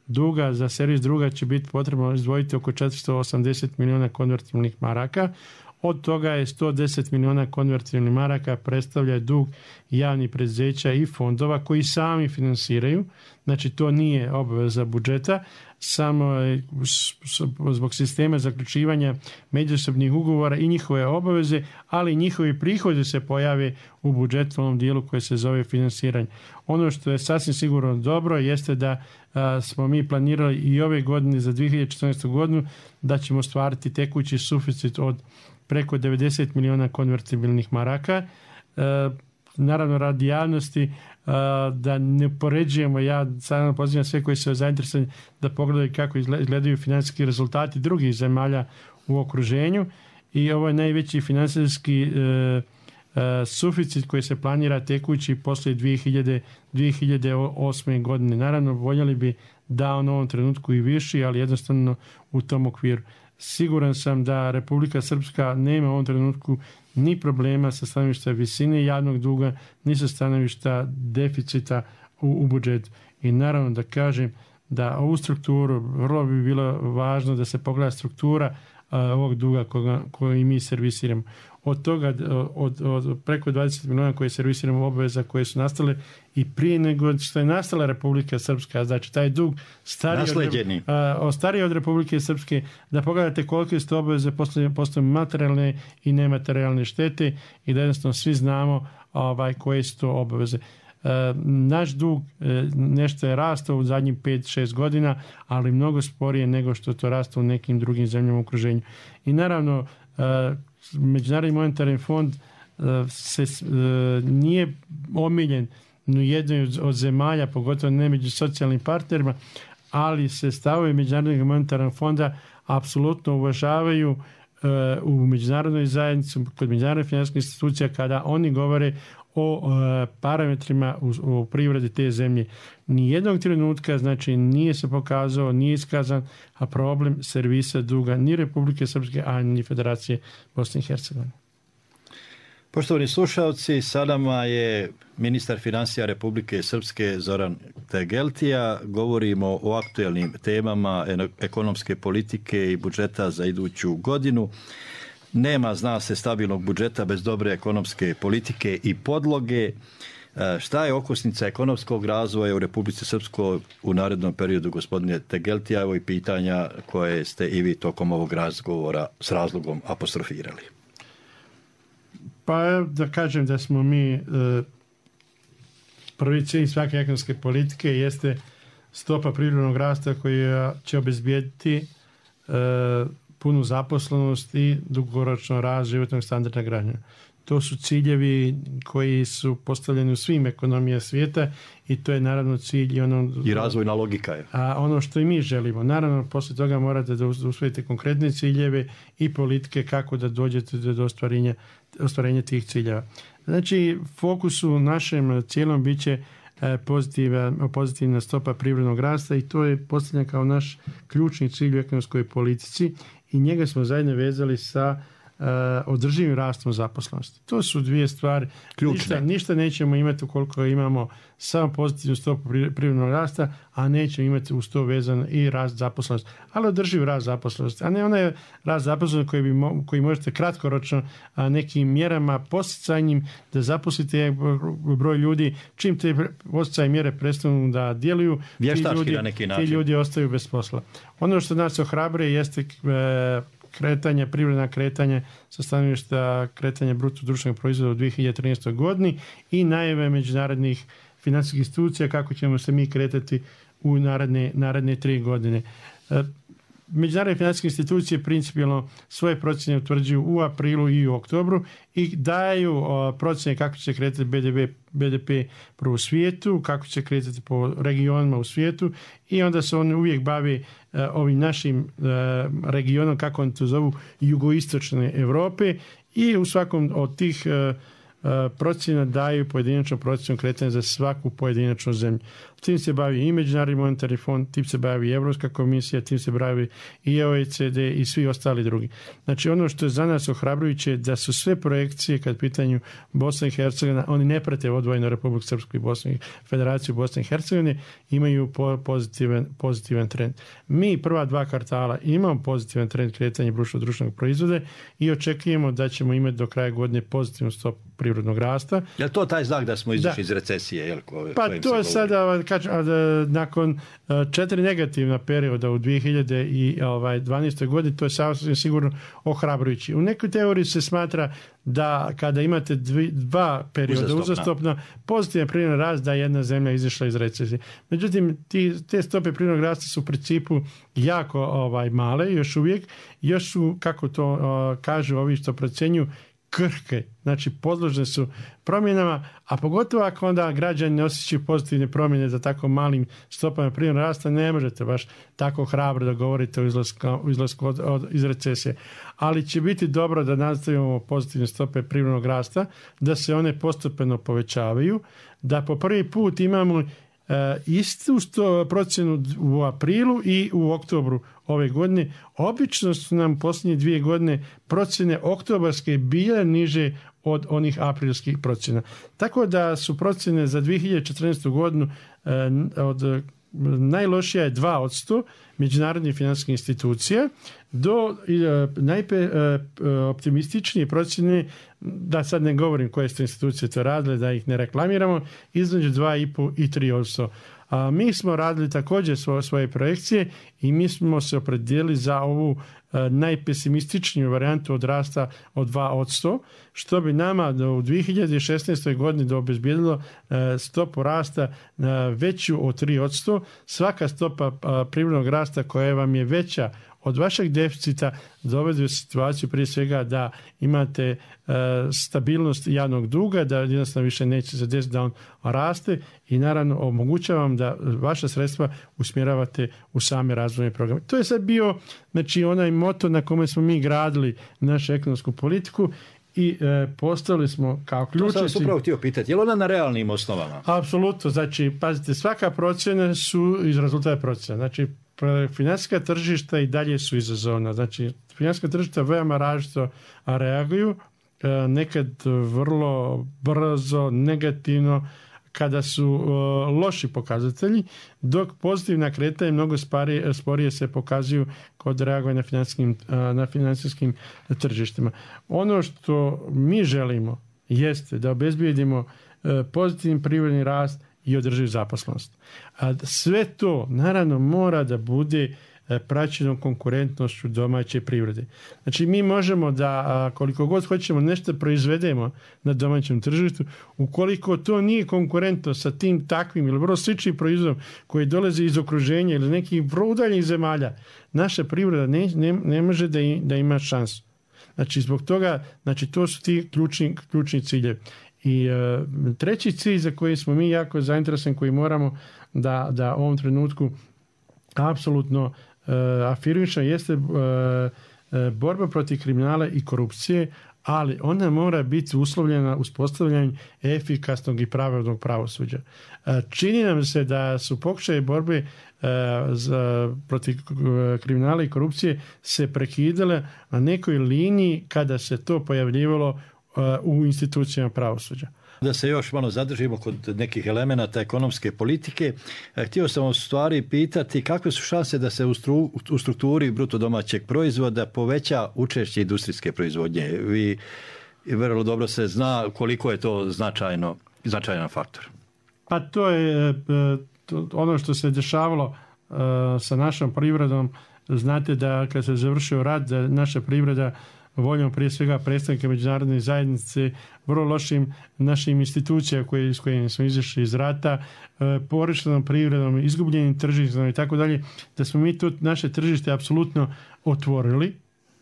S3: duga za servis druga će biti potrebno izdvojiti oko četiristo osamdeset milijuna konvertibilnih maraka. Od toga je sto deset milijuna konvertibilnih maraka predstavlja dug javnih preduzeća i fondova koji sami finansiraju. Znači to nije obaveza budžeta, samo zbog sistema zaključivanja međusobnih ugovora i njihove obaveze, ali njihovi prihodi se pojave u budžetu u onom dijelu koji se zove finansiranje. Ono što je sasvim sigurno dobro jeste da a, smo mi planirali i ove godine za dvije hiljade četrnaestu. godinu da ćemo stvariti tekući suficit od preko devedeset milijuna konvertibilnih maraka. E, naravno, radi javnosti, e, da ne poređujemo, ja sada pozivam sve koji su zainteresovani da pogledaju kako izgledaju financijski rezultati drugih zemalja u okruženju i ovo je najveći financijski e, e, suficit koji se planira tekući poslije dvije hiljade osme. godine. Naravno, voljeli bi da u ovom trenutku i viši, ali jednostavno u tom okviru. Siguran sam da Republika Srpska nema u ovom trenutku ni problema sa stanovišta visine javnog duga, ni sa stanovišta deficita u, u budžetu. I naravno da kažem da ovu strukturu vrlo bi bilo važno da se pogleda struktura a, ovog duga koga, koji mi servisiramo. Od toga, od, od preko dvadeset milijuna koje servisiramo obaveza koje su nastale i prije nego što je nastala Republika Srpska, znači taj dug stariji od, stariji od Republike Srpske, da pogledate kolike su to obaveze, postoje materijalne i nematerijalne štete i da jednostavno svi znamo ovaj, koje su to obaveze. Naš dug nešto je rastao u zadnjih pet šest godina, ali mnogo sporije nego što to rastao u nekim drugim zemljama u okruženju. I naravno, Međunarodni monetarni fond se nije omiljen u jednoj od zemalja, pogotovo ne među socijalnim partnerima, ali se stavovi Međunarodnog monetarnog fonda apsolutno uvažavaju u međunarodnoj zajednici, kod međunarodnih financijskih institucija, kada oni govore o parametrima u, u privredi te zemlje. Nijednog trenutka, znači, nije se pokazao, nije iskazan a problem servisa duga ni Republike Srpske, a ni Federacije Bosne i Hercegovine.
S2: Poštovani slušalci, sa nama je ministar financija Republike Srpske Zoran Tegeltija. Govorimo o aktuelnim temama ekonomske politike i budžeta za iduću godinu. Nema, zna se, stabilnog budžeta bez dobre ekonomske politike i podloge. Šta je okosnica ekonomskog razvoja u Republici Srpskoj u narednom periodu, gospodine Tegeltija? Evo i pitanja koje ste i vi tokom ovog razgovora s razlogom apostrofirali.
S3: Pa da kažem da smo mi prvi cilj svake ekonomske politike jeste stopa privrednog rasta koja će obezbijediti punu zaposlenost i dugoročno rast životnog standarda građana. To su ciljevi koji su postavljeni u svim ekonomijama svijeta i to je naravno cilj i ono...
S2: I razvojna logika je.
S3: A ono što i mi želimo. Naravno, poslije toga morate da usvojite konkretne ciljeve i politike kako da dođete do ostvarenja, ostvarenja tih ciljeva. Znači, fokus u našem cijelom bit će pozitivna, pozitivna stopa privrednog rasta i to je postavljeno kao naš ključni cilj u ekonomskoj politici i njega smo zajedno vezali sa Uh, održivim rastom zaposlenosti. To su dvije stvari. Ništa, ništa nećemo imati ukoliko imamo samo pozitivnu stopu privrednog rasta, a nećemo imati uz to vezan i rast zaposlenosti. Ali održiv rast zaposlenosti, a ne onaj rast zaposlenosti koji, bi mo, koji možete kratkoročno a, nekim mjerama posticajnim da zaposlite broj ljudi. Čim te posticajne mjere prestanu da djeluju, ti ljudi, ti ljudi ostaju bez posla. Ono što nas ohrabruje jeste e, kretanje, privredna kretanje sa stanovišta kretanja bruto društvenog proizvoda u dvije hiljade trinaestoj godini i najave međunarodnih financijskih institucija kako ćemo se mi kretati u naredne, naredne tri godine. Međunarodne financijske institucije principijelno svoje procjene utvrđuju u aprilu i u oktobru i daju procjene kako će se kretati be de pe prvo u svijetu, kako će se kretati po regionima u svijetu i onda se oni uvijek bavi ovim našim regionom, kako oni to zovu, jugoistočne Europe i u svakom od tih procjena daju pojedinačnu procjenu kretanja za svaku pojedinačnu zemlju. Tim se bavi i Međunarodni monetarni fond, tim se bavi i Europska komisija, tim se bavi i o e ce de i svi ostali drugi. Znači ono što je za nas ohrabrujuće je da su sve projekcije kad pitanju Bosna i Hercegovina, oni ne prate odvojeno Republiku Srpsku i Bosnu i Federaciju Bosne i Hercegovine, imaju pozitivan, pozitivan trend. Mi prva dva kvartala imamo pozitivan trend kretanja bruto društvenog proizvoda i očekujemo da ćemo imati do kraja godine pozitivnu stopu privrednog rasta.
S2: Je li to taj znak da smo izašli iz recesije? Jel, ko,
S3: pa to je sada, kač, nakon četiri negativna perioda u dvije hiljade dvanaestoj godini, to je sasvim sigurno ohrabrujući. U nekoj teoriji se smatra da kada imate dvi, dva perioda uzastopno, pozitivan privredni rast da je jedna zemlja izašla iz recesije. Međutim, ti, te stope privrednog rasta su u principu jako ovaj, male, još uvijek, još su, kako to uh, kažu ovi što procjenjuju, krhke, znači podložne su promjenama, a pogotovo ako onda građani ne osjećaju pozitivne promjene za tako malim stopama privrednog rasta, ne možete baš tako hrabro da govorite o izlasku, o izlasku od, od, iz recesije. Ali će biti dobro da nastavimo pozitivne stope privrednog rasta, da se one postepeno povećavaju, da po prvi put imamo Uh, istu sto, procjenu u aprilu i u oktobru ove godine. Obično su nam posljednje dvije godine procjene oktobarske bile niže od onih aprilskih procjena. Tako da su procjene za dvije hiljade četrnaestu godinu uh, od najlošija je dva posto međunarodnih financijskih institucija do uh, najoptimističnije uh, procjene, da sad ne govorim koje su institucije to radile, da ih ne reklamiramo, između dva i pol i tri posto. A mi smo radili također svoje, svoje projekcije i mi smo se opredijelili za ovu uh, najpesimističniju varijantu od rasta od dva posto, što bi nama do u dvije hiljade šesnaestoj godini obezbijedilo uh, stopu rasta uh, veću od tri posto. Svaka stopa uh, privrednog rasta koja vam je veća od vašeg deficita dovede u situaciju prije svega da imate e, stabilnost javnog duga, da jednostavno više neće se desiti da on raste i naravno omogućavam da vaša sredstva usmjeravate u same razvojne programe. To je sad bio znači, onaj moto na kome smo mi gradili našu ekonomsku politiku i e, postavili smo kao ključni...
S2: To sam se upravo htio pitati, je li ona na realnim osnovama?
S3: Apsolutno, znači, pazite, svaka procjena su iz rezultata procjena. Znači, financijska tržišta i dalje su izazovna. Znači, financijska tržišta veoma različito reaguju, nekad vrlo brzo, negativno, kada su uh, loši pokazatelji, dok pozitivna kretanja mnogo spari, sporije se pokazuju kod reagovanja na financijskim, uh, na financijskim tržištima. Ono što mi želimo jeste da obezbijedimo uh, pozitivni privredni rast i održivu zaposlenost. A sve to naravno mora da bude praćeno konkurentnošću domaće privrede. Znači mi možemo da koliko god hoćemo nešto proizvedemo na domaćem tržištu, ukoliko to nije konkurentno sa tim takvim ili vrlo sličnim proizvodom koji dolaze iz okruženja ili nekih vrlo udaljenih zemalja, naša privreda ne, ne, ne može da, i, da ima šansu. Znači zbog toga, znači to su ti ključni, ključni ciljevi. I uh, treći cilj za koji smo mi jako zainteresovani, koji moramo da, da u ovom trenutku apsolutno uh, afirmišemo, jeste uh, uh, borba protiv kriminala i korupcije, ali ona mora biti uslovljena uspostavljanjem efikasnog i pravednog pravosuđa. Čini nam se da su pokušaji borbe za, protiv kriminala i korupcije se prekidale na nekoj liniji kada se to pojavljivalo u institucijama pravosuđa.
S2: Da se još malo zadržimo kod nekih elemenata ekonomske politike, htio sam u stvari pitati kakve su šanse da se u, stru, u strukturi bruto domaćeg proizvoda poveća učešće industrijske proizvodnje. Vi vrlo dobro se zna koliko je to značajno, značajan faktor.
S3: Pa to je to, ono što se dešavalo uh, sa našom privredom. Znate da kad se završio rat, da naša privreda voljom prije svega predstavnika međunarodne zajednice, vrlo lošim našim institucija koje, s kojima smo izašli iz rata, e, porištenom privredom, izgubljenim tržištem i tako dalje, da smo mi to naše tržište apsolutno otvorili.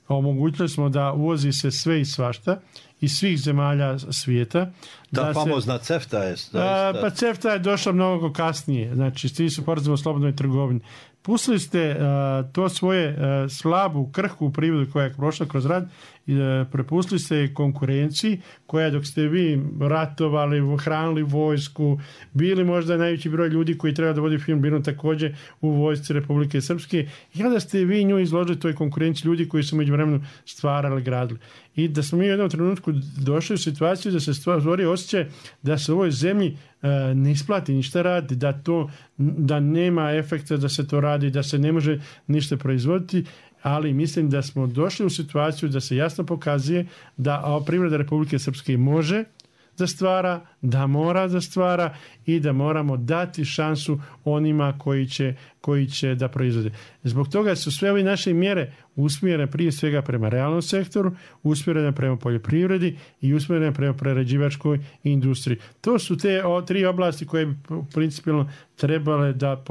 S3: Omogućili smo da uvozi se sve i svašta iz svih zemalja svijeta.
S2: Ta
S3: da
S2: famozna
S3: se,
S2: CEFTA je...
S3: A, pa CEFTA je došla mnogo kasnije. Znači, svi su sporazum o slobodnoj trgovini. Pustili ste uh, to svoje uh, slabu, krhku privredu koja je prošla kroz rat i uh, prepustili ste konkurenciji koja dok ste vi ratovali, hranili vojsku, bili možda najveći broj ljudi koji treba da vodi film, bili također u vojsci Republike Srpske i onda ste vi nju izložili toj konkurenciji ljudi koji su međuvremenu stvarali, gradili. I da smo mi u jednom trenutku došli u situaciju da se stvori osjećaj da se u ovoj zemlji uh, ne isplati ništa radi, da to da nema efekta da se to radi, da se ne može ništa proizvoditi, ali mislim da smo došli u situaciju da se jasno pokazuje da privreda Republike Srpske može da stvara, da mora da stvara i da moramo dati šansu onima koji će, koji će da proizvode. Zbog toga su sve ove naše mjere usmjerene prije svega prema realnom sektoru, usmjerene prema poljoprivredi i usmjerene prema prerađivačkoj industriji. To su te o, tri oblasti koje bi principijalno trebale da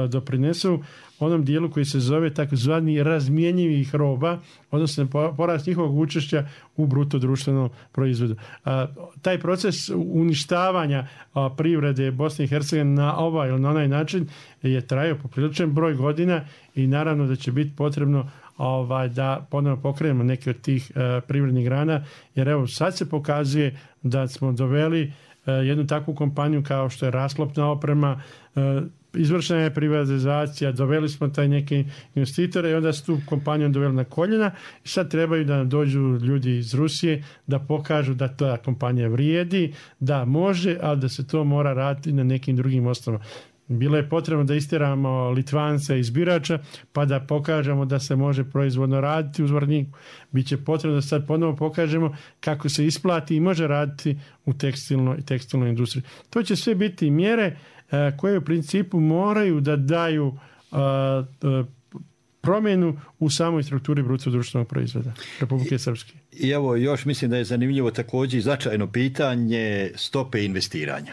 S3: doprinesu onom dijelu koji se zove takozvani razmjenjivih roba, odnosno porast njihovog učešća u bruto društvenom proizvodu. A, taj proces uništavanja a, privrede Bosne i Hercegovine na ovaj ili na onaj način je trajao popriličan broj godina i naravno da će biti potrebno ovaj, da ponovno pokrenemo neke od tih uh, privrednih grana, jer evo sad se pokazuje da smo doveli uh, jednu takvu kompaniju kao što je rasklopna oprema, uh, izvršena je privatizacija, doveli smo taj neke investitore i onda su tu kompaniju doveli na koljena i sad trebaju da dođu ljudi iz Rusije da pokažu da ta kompanija vrijedi, da može, ali da se to mora raditi na nekim drugim osnovama. Bilo je potrebno da istjeramo Litvance iz Birača pa da pokažemo da se može proizvodno raditi u Zvorniku. Biće potrebno da sad ponovo pokažemo kako se isplati i može raditi u tekstilnoj i tekstilnoj industriji. To će sve biti mjere uh, koje u principu moraju da daju uh, uh, promjenu u samoj strukturi bruto društvenog proizvoda Republike Srpske.
S2: I evo još mislim da je zanimljivo također i značajno pitanje stope investiranja.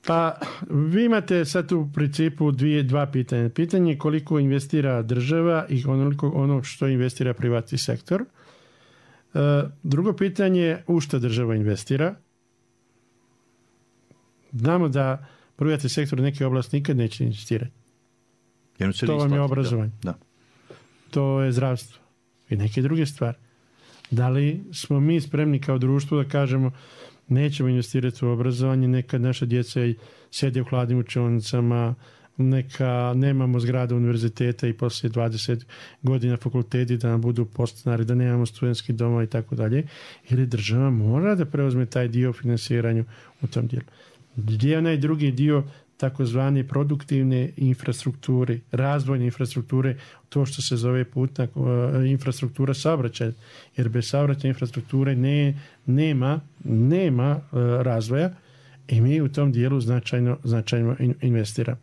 S3: Pa vi imate sad u principu dvije, dva pitanja. Pitanje je koliko investira država i onoliko ono što investira privatni sektor. E, drugo pitanje je u što država investira. Znamo da privatni sektor neke oblasti nikad neće investirati. To vam je obrazovanje.
S2: Da. Da.
S3: To je zdravstvo i neke druge stvari. Da li smo mi spremni kao društvo da kažemo nećemo investirati u obrazovanje, neka naša djeca sjede u hladnim učionicama, neka nemamo zgrade univerziteta i poslije dvadeset godina fakulteti da nam budu podstanari, da nemamo studentski doma i tako dalje, ili država mora da preuzme taj dio financiranju u tom dijelu. Gdje je onaj drugi dio takozvane produktivne infrastrukture, razvojne infrastrukture, to što se zove putna uh, infrastruktura saobraćaja, jer bez saobraćajne infrastrukture ne, nema, nema uh, razvoja i mi u tom dijelu značajno, značajno in, investiramo.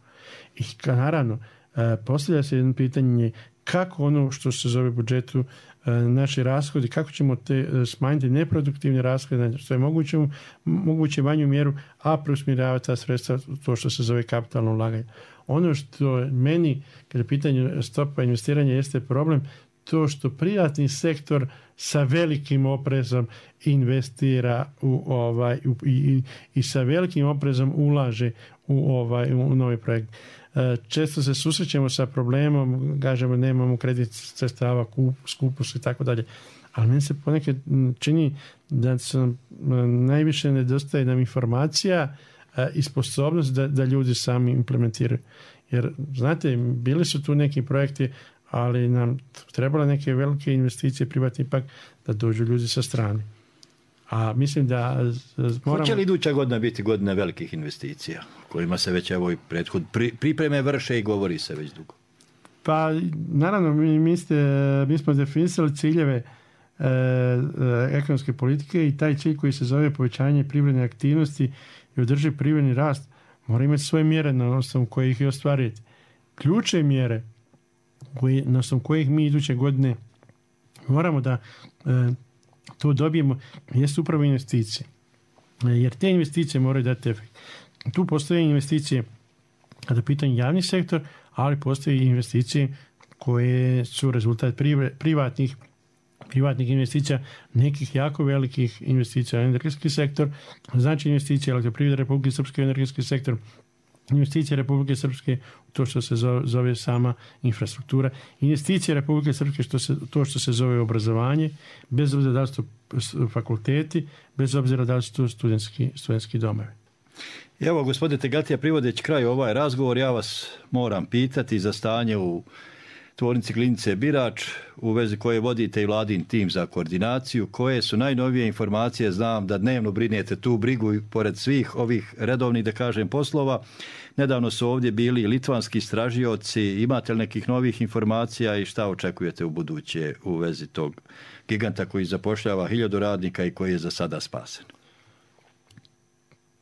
S3: I naravno, uh, postavlja se jedno pitanje kako ono što se zove budžetu uh, naši rashodi, kako ćemo te uh, smanjiti neproduktivne rashode, što je moguće, moguće manju mjeru, a preusmjeravati ta sredstva to što se zove kapitalno ulaganje. Ono što meni, kada je pitanje stopa investiranja, jeste problem, to što privatni sektor sa velikim oprezom investira u ovaj u, i, i sa velikim oprezom ulaže u ovaj u novi projekt. Često se susrećemo sa problemom, kažemo nemamo kredit sredstava, skupo su i tako dalje. Ali meni se ponekad čini da sam najviše nedostaje nam informacija i sposobnost da, da ljudi sami implementiraju. Jer, znate, bili su tu neki projekti, ali nam trebale neke velike investicije, privatni ipak, da dođu ljudi sa strane. A mislim da moramo...
S2: Hoće li iduća godina biti godina velikih investicija, kojima se već evo i prethod pri, pripreme vrše i govori se već dugo?
S3: Pa, naravno, mi, mi, ste, mi smo definisali ciljeve e, e, ekonomske politike i taj cilj koji se zove povećanje privredne aktivnosti i održiv privredni rast mora imati svoje mjere na osnovu kojih ih ostvariti. Ključne mjere koji, na osnovu kojih mi iduće godine moramo da e, to dobijemo jest upravo investicije. E, jer te investicije moraju dati efekt. Tu postoje investicije kada je pitanje javni sektor, ali postoje i investicije koje su rezultat privatnih privatnih investicija, nekih jako velikih investicija u energetski sektor, znači investicije Elektroprivrede Republike Srpske u energetski sektor, investicije Republike Srpske u to što se zove sama infrastruktura, investicije Republike Srpske što se, to što se zove obrazovanje, bez obzira da li su to fakulteti, bez obzira da li su to studentski, studentski domovi.
S2: Evo, gospodine Tegatija, privodeći kraj ovaj razgovor, ja vas moram pitati za stanje u tvornici Glinice Birač, u vezi koje vodite i vladin tim za koordinaciju. Koje su najnovije informacije? Znam da dnevno brinete tu brigu i pored svih ovih redovnih, da kažem, poslova. Nedavno su ovdje bili litvanski istražioci. Imate li nekih novih informacija i šta očekujete u buduće u vezi tog giganta koji zapošljava hiljadu radnika i koji je za sada spasen?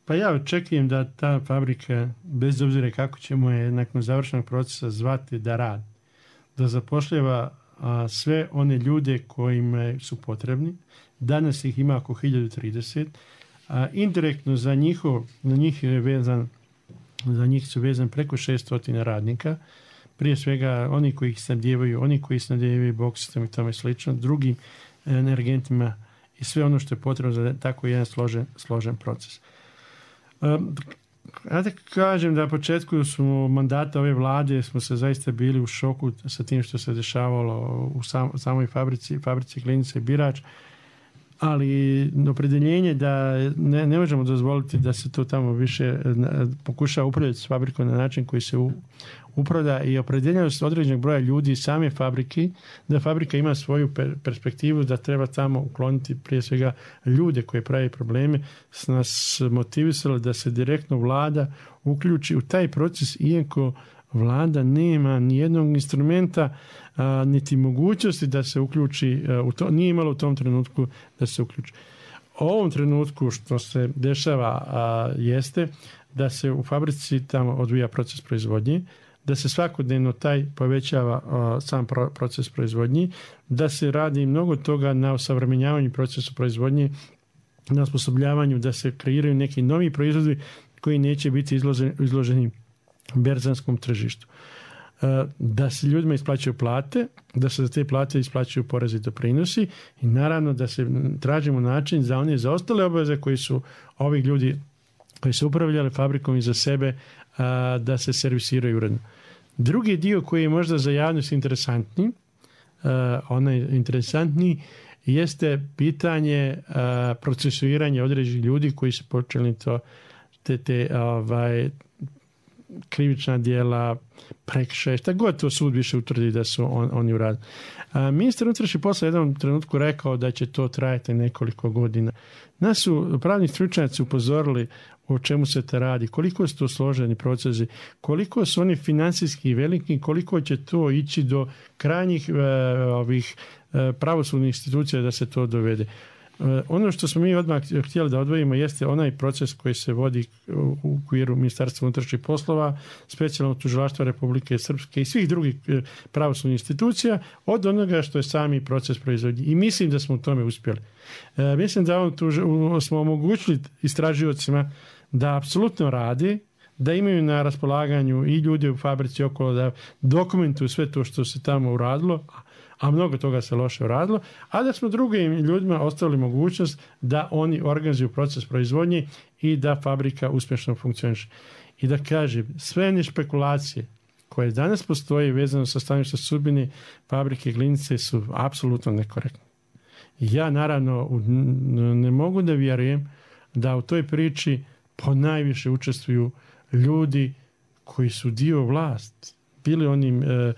S3: Pa ja očekujem da ta fabrika, bez obzira kako ćemo je nakon završenog procesa zvati, da radi, da zapošljava a, sve one ljude kojima su potrebni. Danas ih ima oko hiljadu trideset. A indirektno za njihov, za njih je vezan, za njih su vezan preko šesto radnika. Prije svega oni koji ih snabdijevaju, oni koji snabdijevaju boksistom i tome slično, drugim energentima i sve ono što je potrebno za tako jedan složen, složen proces. Um, Ja da kažem da na početku smo mandata ove vlade smo se zaista bili u šoku sa tim što se dešavalo u sam, samoj fabrici, fabrici Glinice Birač, ali opredeljenje da ne, ne možemo dozvoliti da se to tamo više pokušava upravljati s fabrikom na način koji se u, upravlja i opredeljenost određenog broja ljudi same fabrike, da fabrika ima svoju per, perspektivu, da treba tamo ukloniti prije svega ljude koji pravi probleme, s nas motivisalo da se direktno vlada uključi u taj proces, iako vlada nema nijednog instrumenta a, niti mogućnosti da se uključi, a, u to, nije imalo u tom trenutku da se uključi. U ovom trenutku što se dešava a, jeste da se u fabrici tamo odvija proces proizvodnje, da se svakodnevno taj povećava a, sam pro, proces proizvodnje, da se radi mnogo toga na osavremenjavanju procesa proizvodnje, na osposobljavanju, da se kreiraju neki novi proizvodi koji neće biti izloženi, izloženi berzanskom tržištu. Da se ljudima isplaćuju plate, da se za te plate isplaćuju porezi i doprinosi i naravno da se tražimo način za one za ostale obaveze koji su ovih ljudi koji su upravljali fabrikom i za sebe da se servisiraju uredno. Drugi dio koji je možda za javnost interesantni, onaj interesantniji, jeste pitanje procesuiranja određenih ljudi koji su počeli to te, te ovaj, krivična djela, prekršaje, šta god to sud više utvrdi da su on, oni uradili. Ministar unutrašnjih poslova u jednom trenutku rekao da će to trajati nekoliko godina. Nas su pravni stručnjaci upozorili o čemu se to radi, koliko su to složeni procesi, koliko su oni financijski veliki, koliko će to ići do krajnjih uh, ovih uh, pravosudnih institucija da se to dovede. Ono što smo mi odmah htjeli da odvojimo jeste onaj proces koji se vodi u okviru Ministarstva unutrašnjih poslova, specijalno tužilaštva Republike Srpske i svih drugih pravosudnih institucija od onoga što je sami proces proizvodnje. I mislim da smo u tome uspjeli. E, mislim da on tu, smo omogućili istražiocima da apsolutno radi, da imaju na raspolaganju i ljudi u fabrici okolo da dokumentuju sve to što se tamo uradilo, a mnogo toga se loše radilo, a da smo drugim ljudima ostavili mogućnost da oni organizuju proces proizvodnje i da fabrika uspješno funkcioniše. I da kažem, sve one špekulacije koje danas postoje vezano sa stanovišta sudbine fabrike Glinice su apsolutno nekorektne. Ja naravno ne mogu da vjerujem da u toj priči ponajviše učestvuju ljudi koji su dio vlasti. Bili oni e,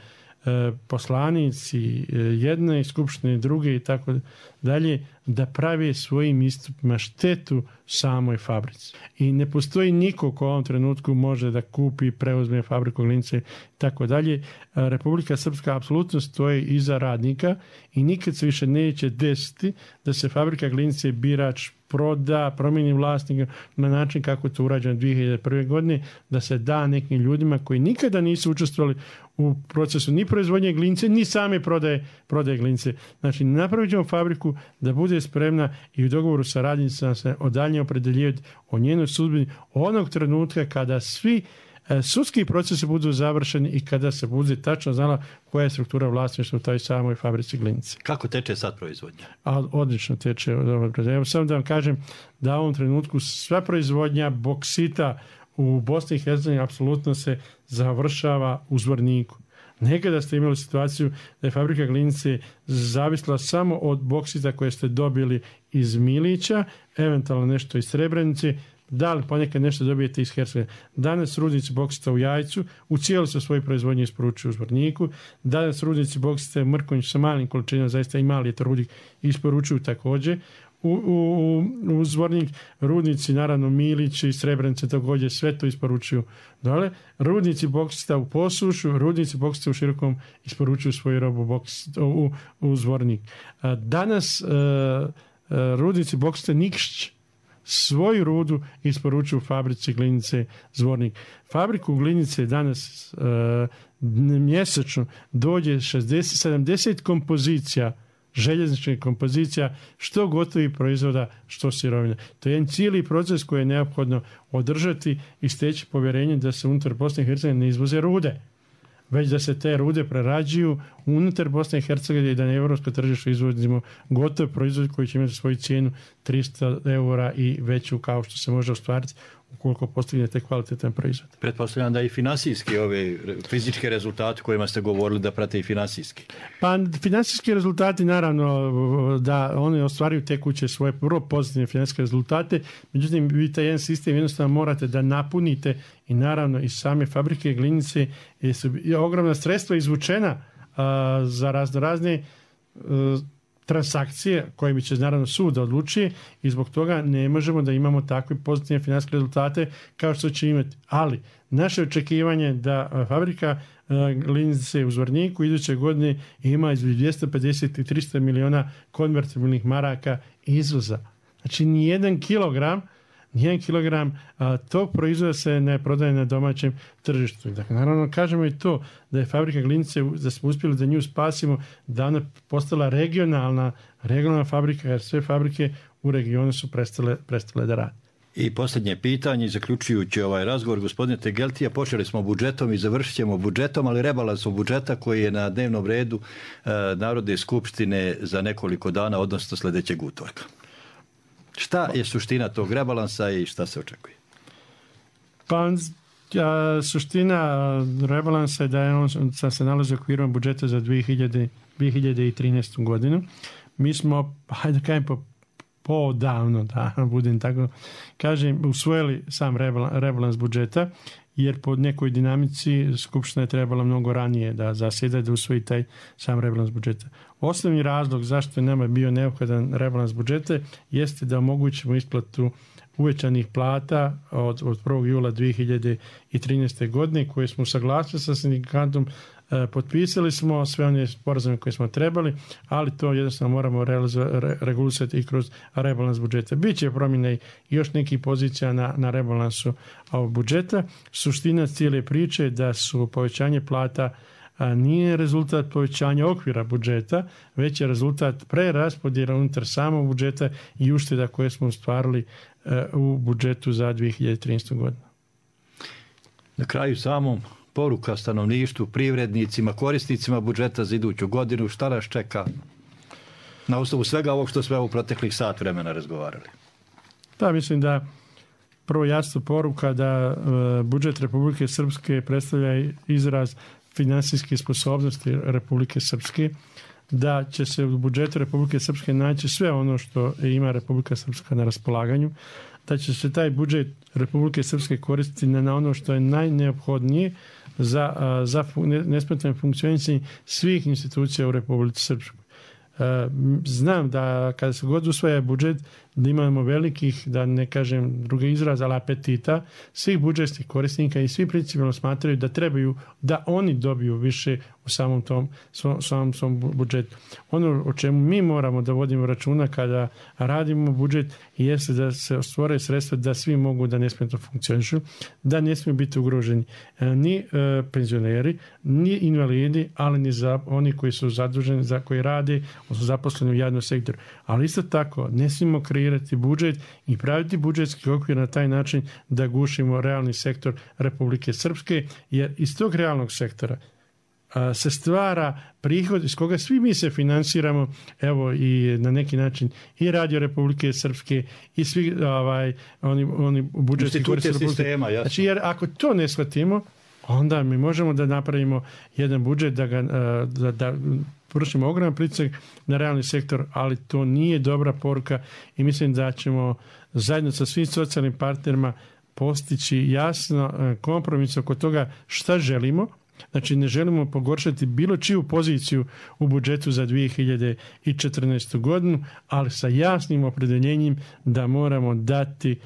S3: e, poslanici e, jedne skupštine, druge i tako dalje, da prave svojim istupima štetu samoj fabrici. I ne postoji niko ko u ovom trenutku može da kupi, preuzme fabriku Glinice i tako dalje. Republika Srpska apsolutno stoji iza radnika i nikad se više neće desiti da se fabrika Glinice birač proda, promijeni vlasnika na način kako je to urađeno dvije hiljade prve. godine, da se da nekim ljudima koji nikada nisu učestvovali u procesu ni proizvodnje glinice, ni same prodaje, prodaje glinice. Znači, napravit ćemo fabriku da bude spremna i u dogovoru sa radnicama se odalje opredeljivati o njenoj sudbini onog trenutka kada svi sudski procesi budu završeni i kada se bude tačno znala koja je struktura vlasništva u toj samoj fabrici Glinice.
S2: Kako teče sad proizvodnja?
S3: A, odlično teče. Evo samo da vam kažem da u ovom trenutku sva proizvodnja boksita u Bosni i Hercegovini apsolutno se završava u Zvorniku. Nekada ste imali situaciju da je fabrika Glinice zavisla samo od boksita koje ste dobili iz Milića, eventualno nešto iz Srebrenice, da li ponekad nešto dobijete iz Hercegovine. Danas rudnici boksita u Jajcu u cijelu su svoju proizvodnju isporučuju u Zvorniku. Danas rudnici boksita u Mrkonjiću sa malim količinama, zaista i mali je to rudnik, isporučuju također u, u, u Zvornik. Rudnici, naravno Milić i Srebrenice također sve to isporučuju dole. Rudnici boksita u Posušu, rudnici boksita u Širokom isporučuju svoju robu boksita u, u Zvornik. Danas uh, uh, rudnici boksita Nikšić svoju rudu isporučuju fabrici Glinice Zvornik. Fabriku Glinice danas uh, mjesečno dođe šezdeset sedamdeset kompozicija, željezničkih kompozicija, što gotovih proizvoda, što sirovina. To je jedan cijeli proces koji je neophodno održati i steći povjerenje da se unutar Bosne i Hercegovine ne izvoze rude, već da se te rude prerađuju unutar Bosne i Hercegovine i da na evropsko tržište izvozimo gotov proizvod koji će imati svoju cijenu tristo eura i veću kao što se može ostvariti ukoliko postignete kvalitetan proizvod.
S2: Pretpostavljam da i finansijski ove fizičke rezultate kojima ste govorili da prate i finansijski.
S3: Pa finansijski rezultati naravno da oni ostvaruju tekuće svoje vrlo pozitivne finansijske rezultate, međutim vi taj jedan sistem jednostavno morate da napunite i naravno iz same fabrike Glinice je ogromna sredstva izvučena a, za razno razne a, transakcije kojima će naravno sud da odlučuje i zbog toga ne možemo da imamo takve pozitivne financijske rezultate kao što će imati. Ali naše očekivanje da fabrika Glinice u Zvorniku iduće godine ima između dvjesto pedeset i tristo miliona konvertibilnih maraka izvoza. Znači nijedan kilogram Nijedan kilogram a, tog proizvoda se ne prodaje na domaćem tržištu. Dakle, naravno kažemo i to da je fabrika Glinice, da smo uspjeli da nju spasimo, da ona postala regionalna, regionalna fabrika, jer sve fabrike u regionu su prestale, prestale da rade.
S2: I posljednje pitanje, zaključujući ovaj razgovor, gospodine Tegeltija, počeli smo budžetom i završit ćemo budžetom, ali rebalansom budžeta koji je na dnevnom redu e, Narodne skupštine za nekoliko dana, odnosno sljedećeg utorka. Šta je suština tog rebalansa i šta se očekuje?
S3: Pa a, suština rebalansa je da je on se nalazi u okviru budžeta za dvije hiljade trinaestu. godinu. Mi smo, hajde da kažem, po, podavno, da budem tako kažem, usvojili sam rebalans, rebalans budžeta, jer po nekoj dinamici Skupština je trebala mnogo ranije da zasjeda, da usvoji taj sam rebalans budžeta. Osnovni razlog zašto je nama bio neophodan rebalans budžeta jeste da omogućimo isplatu uvećanih plata od, od prvog jula dvije hiljade trinaeste. godine koje smo usaglasili sa sindikatom. E, potpisali smo sve one sporazume koje smo trebali, ali to jednostavno moramo re, regulisati i kroz rebalans budžeta. Biće promjene i još nekih pozicija na, na rebalansu ovog budžeta. Suština cijele priče da su povećanje plata a nije rezultat povećanja okvira budžeta, već je rezultat preraspodjela unutar samog budžeta i ušteda koje smo ostvarili u budžetu za dvije hiljade trinaestu. godinu.
S2: Na kraju samom poruka stanovništvu, privrednicima, korisnicima budžeta za iduću godinu, šta nas čeka na osnovu svega ovog što smo u proteklih sat vremena razgovarali?
S3: Da, mislim da prvo jasna poruka da budžet Republike Srpske predstavlja izraz finansijske sposobnosti Republike Srpske, da će se u budžetu Republike Srpske naći sve ono što ima Republika Srpska na raspolaganju, da će se taj budžet Republike Srpske koristiti na ono što je najneophodnije za, za nesmetano funkcionisanje svih institucija u Republici Srpskoj. Znam da kada se god usvaja budžet, da imamo velikih, da ne kažem drugi izraz, ali apetita svih budžetskih korisnika i svi principijalno smatraju da trebaju da oni dobiju više u samom tom samom svom budžetu. Ono o čemu mi moramo da vodimo računa kada radimo budžet jeste da se stvore sredstva da svi mogu da nesmetano funkcionišu, da ne smiju biti ugroženi ni e, penzioneri, ni invalidi, ali ni za oni koji su zaduženi, za koji rade, odnosno zaposleni u javnom sektoru. Ali isto tako ne smijemo kreirati budžet i praviti budžetski okvir na taj način da gušimo realni sektor Republike Srpske, jer iz tog realnog sektora a, se stvara prihod iz koga svi mi se finansiramo, evo i na neki način i Radio Republike Srpske i svi ovaj, oni, oni budžetski korisnici
S2: sistema. Jasno.
S3: Znači, jer ako to ne shvatimo, onda mi možemo da napravimo jedan budžet da ga da, da vršimo ogroman pritisak na realni sektor, ali to nije dobra poruka i mislim da ćemo zajedno sa svim socijalnim partnerima postići jasno kompromis oko toga šta želimo. Znači ne želimo pogoršati bilo čiju poziciju u budžetu za dvije hiljade četrnaestu godinu, ali sa jasnim opredeljenjem da moramo dati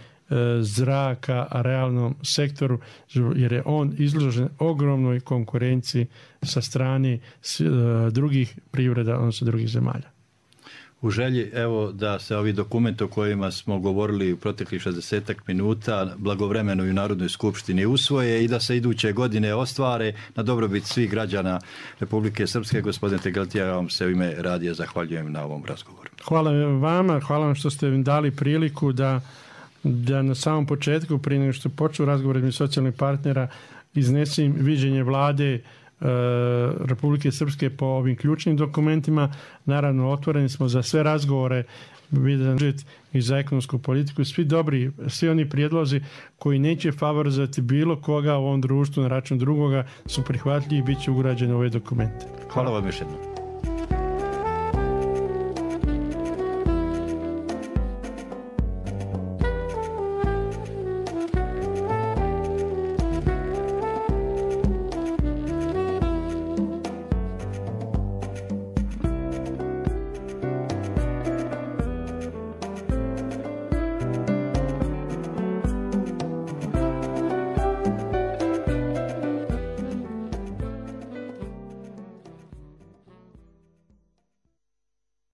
S3: zraka realnom sektoru, jer je on izložen ogromnoj konkurenciji sa strane drugih privreda, odnosno drugih zemalja.
S2: U želji, evo, da se ovi dokumenti o kojima smo govorili u proteklih šezdesetak minuta blagovremeno i u Narodnoj skupštini usvoje i da se iduće godine ostvare na dobrobit svih građana Republike Srpske. Gospodine Tegeltija, ja vam se u ime radija zahvaljujem na ovom razgovoru.
S3: Hvala vama, hvala vam što ste mi dali priliku da da na samom početku, prije nego što počnu razgovor između socijalnih partnera, iznesem viđenje vlade e, Republike Srpske po ovim ključnim dokumentima. Naravno, otvoreni smo za sve razgovore i za ekonomsku politiku. Svi dobri, svi oni prijedlozi koji neće favorizovati bilo koga u ovom društvu na račun drugoga su prihvatljivi i bit će ugrađeni u ove dokumente.
S2: Hvala vam još jednom.